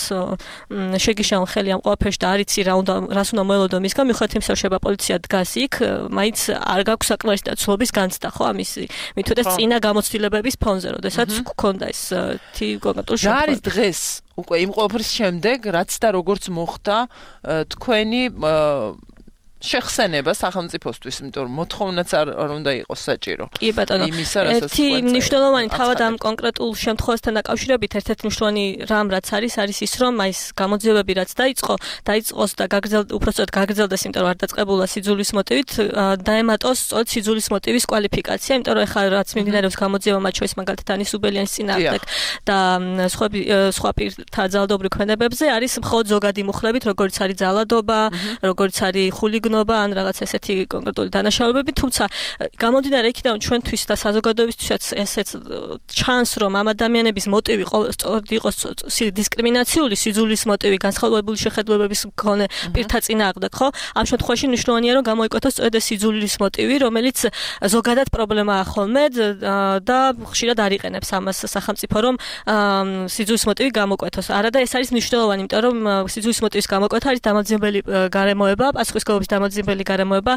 S6: შეგიშალ ხელი ამ ყველაფერში და არიცი რას უნდა მოელოდო მისგან მიუხედავად იმისა რომ შეიძლება პოლიცია დგას იქ მაინც არ გაქვს საკმარისი დაცულობის განცდა ხო ამისი მithudес წინა გამოცდილებების ფონზე როდესაც გქონდა ეს კონკრეტული
S2: რა არის დღეს უკვე იმ ყველაფრის შემდეგ რაც და როგორც მოხდა თქვენი შეხსენება სახელმწიფოსთვის, იმიტომ რომ მოთხოვნაც არ უნდა იყოს საჭირო.
S6: კი ბატონო. ერთი მნიშვნელოვანი თავად ამ კონკრეტულ შემთხვევასთან დაკავშირებით ერთ-ერთი მნიშვნელოვანი რამ რაც არის ის რომ აი ეს გამოძიებები რაც დაიწყოს და უпростоოდ გაგრძელდეს, იმიტომ რომ არ დაწყებულა სიძულის მოტივით, დაემატოს სწორედ სიძულის მოტივის კვალიფიკაცია, იმიტომ რომ ეხლა რაც მიმდინარეობს გამოძიება მათ შორის მაგალითად ანის უბელიანის წინააღმდეგ და სხვა პირთა ძალადობრივ ქმედებებზე არის მხოლოდ ზოგადი მუხლებით, როგორც არის ძალადობა, როგორც არის ხულიგ ან რაღაც ესეთი კონკრეტული დანაშაულებები, თუმცა გამომდინარე იქიდან ჩვენთვის და საზოგადოებისთვისაც ესეც ჩანს, რომ ამ ადამიანების მოტივი სწორედ იყოს დისკრიმინაციული, სიძულის მოტივი, განსხვავებული შეხედულებების მქონე პირთა წინააღმდეგ, ხო? ამ შემთხვევაში მნიშვნელოვანია, რომ გამოიკვეთოს სწორედ ეს სიძულის მოტივი, რომელიც ზოგადად პრობლემაა ხოლმე და ხშირად არ იყენებს ამას სახელმწიფო, რომ სიძულის მოტივი გამოკვეთოს. არა და ეს არის მნიშვნელოვანი, იმიტომ რომ სიძულის მოტივის გამოკვეთა არის დამაძიებელი გარემოება, პასუხისმგებლობის დამაძიებელი გარემოება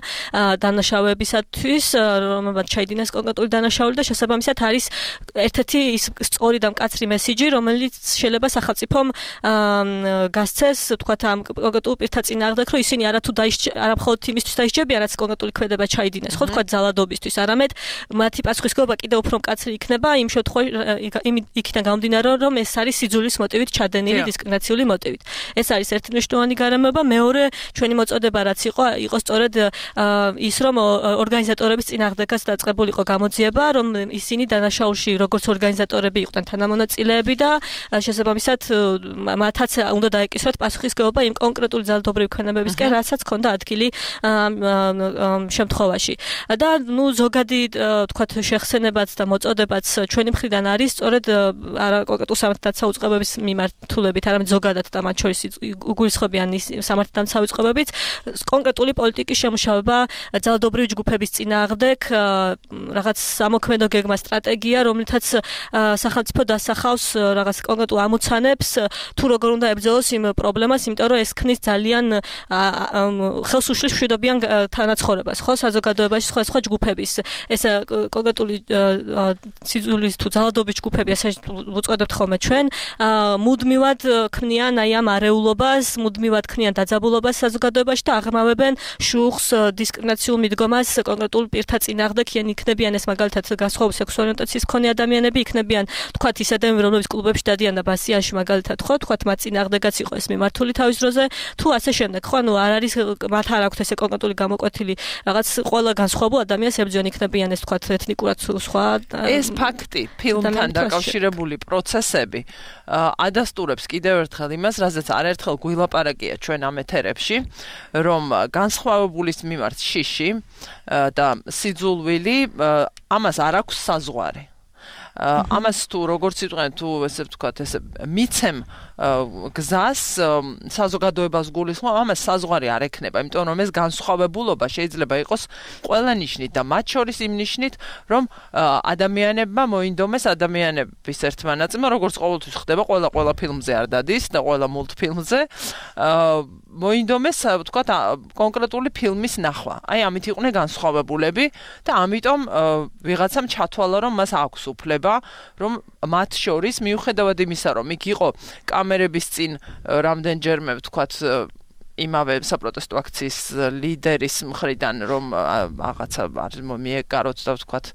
S6: დანაშაუებისათვის, რომელმაც ჩაიდინეს კონკრეტული დანაშაული და შესაბამისად არის ერთ-ერთი ის სწორი და მკაცრი მესიჯი, რომელიც შეიძლება სახელმწიფომ გასცეს, თქვათ ამ კონკრეტულ პირთა წინააღმდეგ, რომ ისინი არა მხოლოდ იმისთვის დაისჯებიან, რაც კონკრეტული ქმედება ჩაიდინეს, ხო თქვათ ძალადობისთვის, არამედ მათი პასუხისმგებლობა კიდევ უფრო მკაცრი იქნება იმ შემთხვევაში, იქიდან გამომდინარე, რომ ეს არის სიძულის მოტივით ჩადენილი დისკრიმინაციული მოტივით. ეს არის ერთი მნიშვნელოვანი გარემოება, მეორე ჩვენი მოწოდება რაც იყო იყო სწორედ ის რომ ორგანიზატორების წინააღმდეგაც დაწყებულიყო გამოძიება, რომ ისინი დანაშაულში როგორც ორგანიზატორები იყვნენ თანამონაწილეები და შესაბამისად მათაც უნდა დაეკისრათ პასუხისგებლობა იმ კონკრეტული ძალადობრივი ქონებებისკენ, რასაც ჰქონდა ადგილი შემთხვევაში. და ზოგადი თქვათ შეხსენებაც და მოწოდებაც ჩვენი მხრიდან არის სწორედ არა კონკრეტულ სამართალდამცავ უწყებების მიმართულებით, არამედ ზოგადად და მათ შორის უგულისხმობიან სამართალდამცავ უწყებებიც კონკრეტული პოლიტიკის შემუშავება ძალადობრივი ჯგუფების წინააღმდეგ, რაღაც სამოქმედო გეგმა სტრატეგია, რომლითაც სახელმწიფო დასახავს რაღაც კონკრეტულ ამოცანებს, თუ როგორ უნდა ებრძოლოს იმ პრობლემას, იმიტომ რომ ეს ქმნის ძალიან ხელს უშლის მშვიდობიან თანაცხოვრებას, ხო, საზოგადოებაში სხვა ჯგუფების ეს კონკრეტული სიძულის თუ ძალადობის ჯგუფები, ასე ვუწოდებთ ხოლმე ჩვენ, მუდმივად ქმნიან აი ამ არეულობას, მუდმივად ქმნიან დაძაბულობას საზოგადოებაში და აღრმავებენ შუხს, დისკრიმინაციულ მიდგომას კონკრეტულ პირთა წინააღმდეგ, იქნებიან ეს მაგალითად განსხვავებული სექსუალური ორიენტაციის მქონე ადამიანები, იქნებიან თქვათ ის ადამიანები, რომლებიც კლუბებში დადიან და ბასიანში მაგალითად ხო, თქვათ მათ წინააღმდეგაც იყო ეს მიმართული თავის დროზე, თუ ასე შემდეგ, ხო, არ არის მათ არ აქვთ ესე კონკრეტული გამოკვეთილი რაღაც ყველა განსხვავებულ ადამიანს ებრძვიან, იქნებიან ეს თქვათ ეთნიკურად სხვა
S2: ეს ფაქტი ფილმთან დაკავშირებული პროცესები ადასტურებს კიდევ ერთხელ იმას, რაზეც არაერთხელ გვილაპარაკია ჩვენ ამ ეთერებში, რომ განსხვავებულის მიმართ შიში და სიძულვილი ამას არ აქვს საზღვარი. ამას თუ როგორც იტყვიან, თუ ესე ვთქვათ, ესე მიცემ გზას საზოგადოებას გულისხმობ, ამას საზღვარი არ ექნება, იმიტომ რომ ეს განსხვავებულობა შეიძლება იყოს ყველა ნიშნით და მათ შორის იმ ნიშნით, რომ ადამიანებმა მოინდომეს ადამიანების ერთმანაწილმა, როგორც ყოველთვის ხდება ყველა ფილმზე არ დადის და ყველა მულტფილმზე მოინდომეს, ვთქვათ, კონკრეტული ფილმის ნახვა. აი, ამით იყვნენ განსხვავებულები და ამიტომ ვიღაცამ ჩათვალა, რომ მას აქვს უფლება, რომ მათ შორის მიუხედავად იმისა, რომ იქ იყო კამერების წინ რამდენჯერმე, ვთქვათ, იმავე საპროტესტო აქციის ლიდერის მხრიდან, რომ რაღაცა არ მიეკაროთ და ვთქვათ,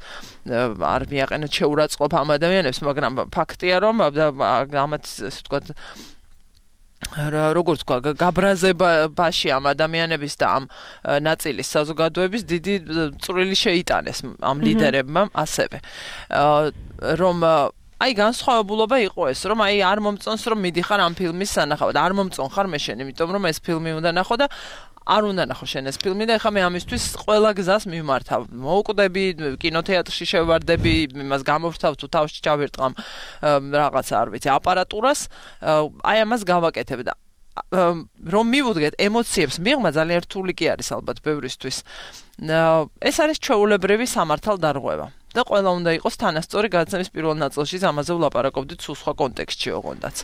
S2: არ მიაყენოთ შეურაცხყოფა ამ ადამიანებს, მაგრამ ფაქტია, რომ ამათ, ასე ვთქვათ, როგორც თქვა, გაბრაზებაში ამ ადამიანების და ამ ნაწილის საზოგადოების დიდი წვრილი შეიტანეს ამ ლიდერებმა ასევე. რომ აი განსხვავებულობა იყო ეს, რომ აი არ მომწონს, რომ მიდიხარ ამ ფილმის სანახავად, არ მომწონხარ მე შენ, იმიტომ რომ ეს ფილმი უნდა ნახო და არ უნდა ნახო შენ ეს ფილმი და ეხლა მე ამისთვის ყველა გზას მიმართავ. მოვკვდები, კინოთეატრში შევარდები, იმას გამოვთავ თუ თავში ჩავირტყამ რაღაცა, არ ვიცი, აპარატურას, აი ამას გავაკეთებ და რომ მივუდგეთ ემოციებს მიღმა ძალიან რთული კი არის ალბათ ბევრისთვის. ეს არის ჩვეულებრივი სამართალდარღვევა. და ყველა უნდა იყოს თანასწორი გადაცემის პირველ ნაწილში ამაზე ვლაპარაკობდით სულ სხვა კონტექსტში ოღონდაც.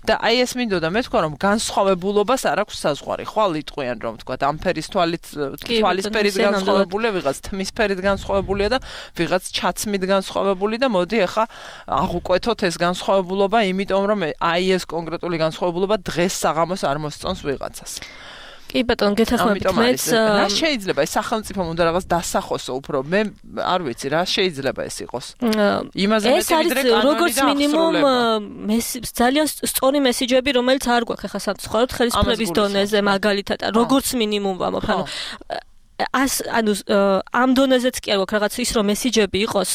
S2: და აი ეს მინდოდა მე თქვა რომ განსხვავებულობას არ აქვს საზღვარი. ხვალ იტყვიან რომ თქვა ამ ფერის თვალისფერით განსხვავებულია, ვიღაც თმისფერით განსხვავებულია და ვიღაც ჩაცმით განსხვავებული და მოდი ახლა აღვკვეთოთ ეს განსხვავებულობა, იმიტომ რომ აი ეს კონკრეტული განსხვავებულობა დღეს საღამოს არ მოსწონს ვიღაცას.
S6: კი ბატონო, გეთანხმებით მეც
S2: რა შეიძლება ეს სახელმწიფომ უნდა რაღაც დასახოსო უფრო მე არ ვიცი რა შეიძლება ეს იყოს იმაზე მეტი ვიდრე კანონი და
S6: როგორც მინიმუმ ძალიან სწორი მესიჯები რომელიც არ გვაქვს ახლა სამწუხაროდ ხელისუფლების დონეზე მაგალითად როგორც მინიმუმ ვამბობ ანუ ამ დონეზეც კი არ გვაქვს რაღაც ის რომ მესიჯები იყოს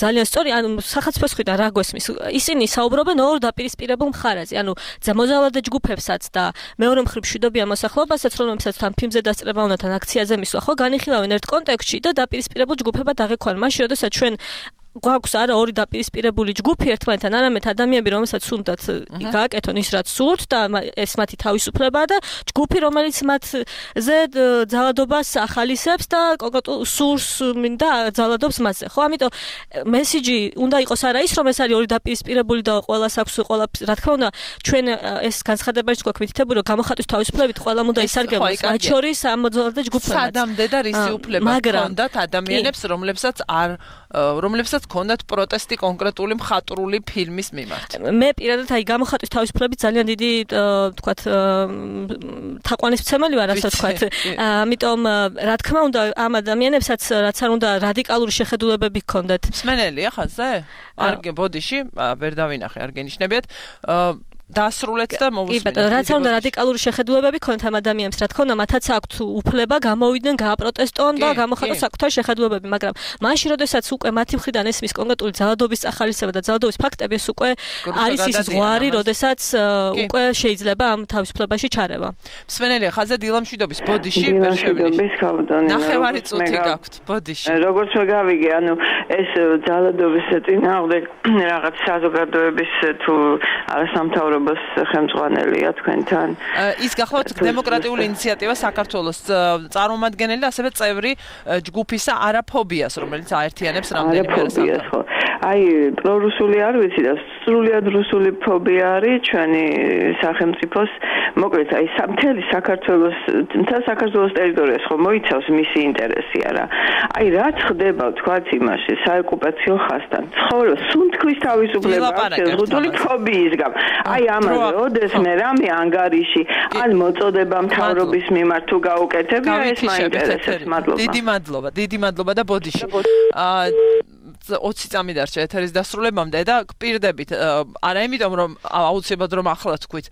S6: ძალიან სწორი ანუ სახელმწიფოს მხრიდან რა გვესმის ისინი საუბრობენ ორ დაპირისპირებულ მხარეზე ანუ მოძალადე ჯგუფებსაც და მეორე მხრივ მშვიდობიან მოსახლეობასაც რომელსაც თან ფილმზე დასწრება უნდა თან აქციაზე მისვლა ხო განიხილავენ ერთ კონტექსტში და დაპირისპირებულ ჯგუფებად აღიქვან მაშინ როდესაც ჩვენ გვაქვს არა ორი დაპირისპირებული ჯგუფი ერთმანეთთან არამედ ადამიანები რომელსაც უნდათ გააკეთონ ის რაც სურთ და ეს მათი თავისუფლებაა და ჯგუფი რომელიც მათზე ძალადობას ახალისებს და კონკრეტულ სურს მინდა ძალადობს მასზე ხო ამიტომ მესიჯი უნდა იყოს არა ის რომ ეს არის ორი დაპირისპირებული და ყველას აქვს ყველა რა თქმა უნდა ჩვენ ეს განცხადებაში გვაქვს მითითებული რომ გამოხატვის თავისუფლებით ყველამ უნდა ისარგებლოს მათ შორის ამ მოძალადე ჯგუფებთან
S2: სადამდე და რისი უფლება ჰქონდათ ადამიანებს რომლებსაც ქონდათ პროტესტი კონკრეტული მხატვრული ფილმის მიმართ.
S6: მე პირადად აი გამოხატვის თავისუფლებით ძალიან დიდი თქვათ თაყვანისმცემელი ვარ ასე ვთქვათ. ამიტომ რა თქმა უნდა ამ ადამიანებსაც რაც არ უნდა რადიკალური შეხედულებები ჰქონდათ.
S2: მსმენელია ხაზზე? არ ბოდიში ვერ დავინახე, არ გენიშნებიათ. დასრულეთ და მოვუსმინოთ.
S6: კი, რაც უნდა რადიკალური შეხედულებები ქონთ ამ ადამიანებს, რა თქმა უნდა, მათაც აქვთ უფლება გამოვიდნენ, გააპროტესტონ და გამოხატონ საკუთარი შეხედულებები, მაგრამ მაშინ, როდესაც უკვე მათი მხრიდან ესმის კონკრეტული ძალადობის ახალისება და ძალადობის ფაქტები, ეს უკვე არის ის ზღვარი, როდესაც უკვე შეიძლება ამ თავისუფლებაში ჩარევა.
S2: მსმენელია ხაზზე დილამშვიდობის ბოდიში ვერ
S8: შევიდე.
S2: ნახევარი წუთი გაქვთ ბოდიში.
S8: როგორც გავიგე, ანუ ეს ძალადობის წინააღმდეგ რაღაც საზოგადოების თუ არასამთავრობოს ხელმძღვანელია თქვენთან.
S2: ის გახლავთ დემოკრატიული ინიციატივა საქართველოს წარმომადგენელი და ასევე წევრი ჯგუფისა არაფობიას, რომელიც აერთიანებს რამდენიმე
S8: ხო. აი, პრორუსული არ ვიცი და სრულიად რუსული ფობია არის ჩვენი სახელმწიფოს, მოკლედ აი მთელი საქართველოს ტერიტორიას ხო მოიცავს მისი ინტერესი არა. აი, რაც ხდება თქვათ იმაში საოკუპაციო ხაზთან, ცხოვრობს სუნთქვის თავისუფლება შეზღუდული ფობიის გამო. აი, ამაზე ოდესმე რამე ანგარიში ან მოწოდება მთავრობის მიმართ თუ გაუკეთებია, ეს მაინტერესებს. მადლობა. დიდი მადლობა და ბოდიში. 20 წამი დარჩა ეთერის დასრულებამდე და გპირდებით არა იმიტომ რომ აუცილებლად რომ ახლა თქვით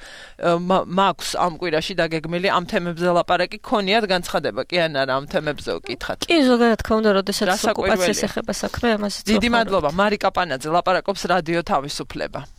S8: მაქვს ამ კვირაში დაგეგმილი ამ თემებზე ლაპარაკი ქონიათ განცხადება კი ან არა ამ თემებზე ვკითხათ
S6: კი ზოგადად ქონდა როდესაც ოკუპაციას ეხება საქმე ამაზე
S2: დიდი მადლობა მარიკა პანაძე ლაპარაკობს რადიო თავისუფლება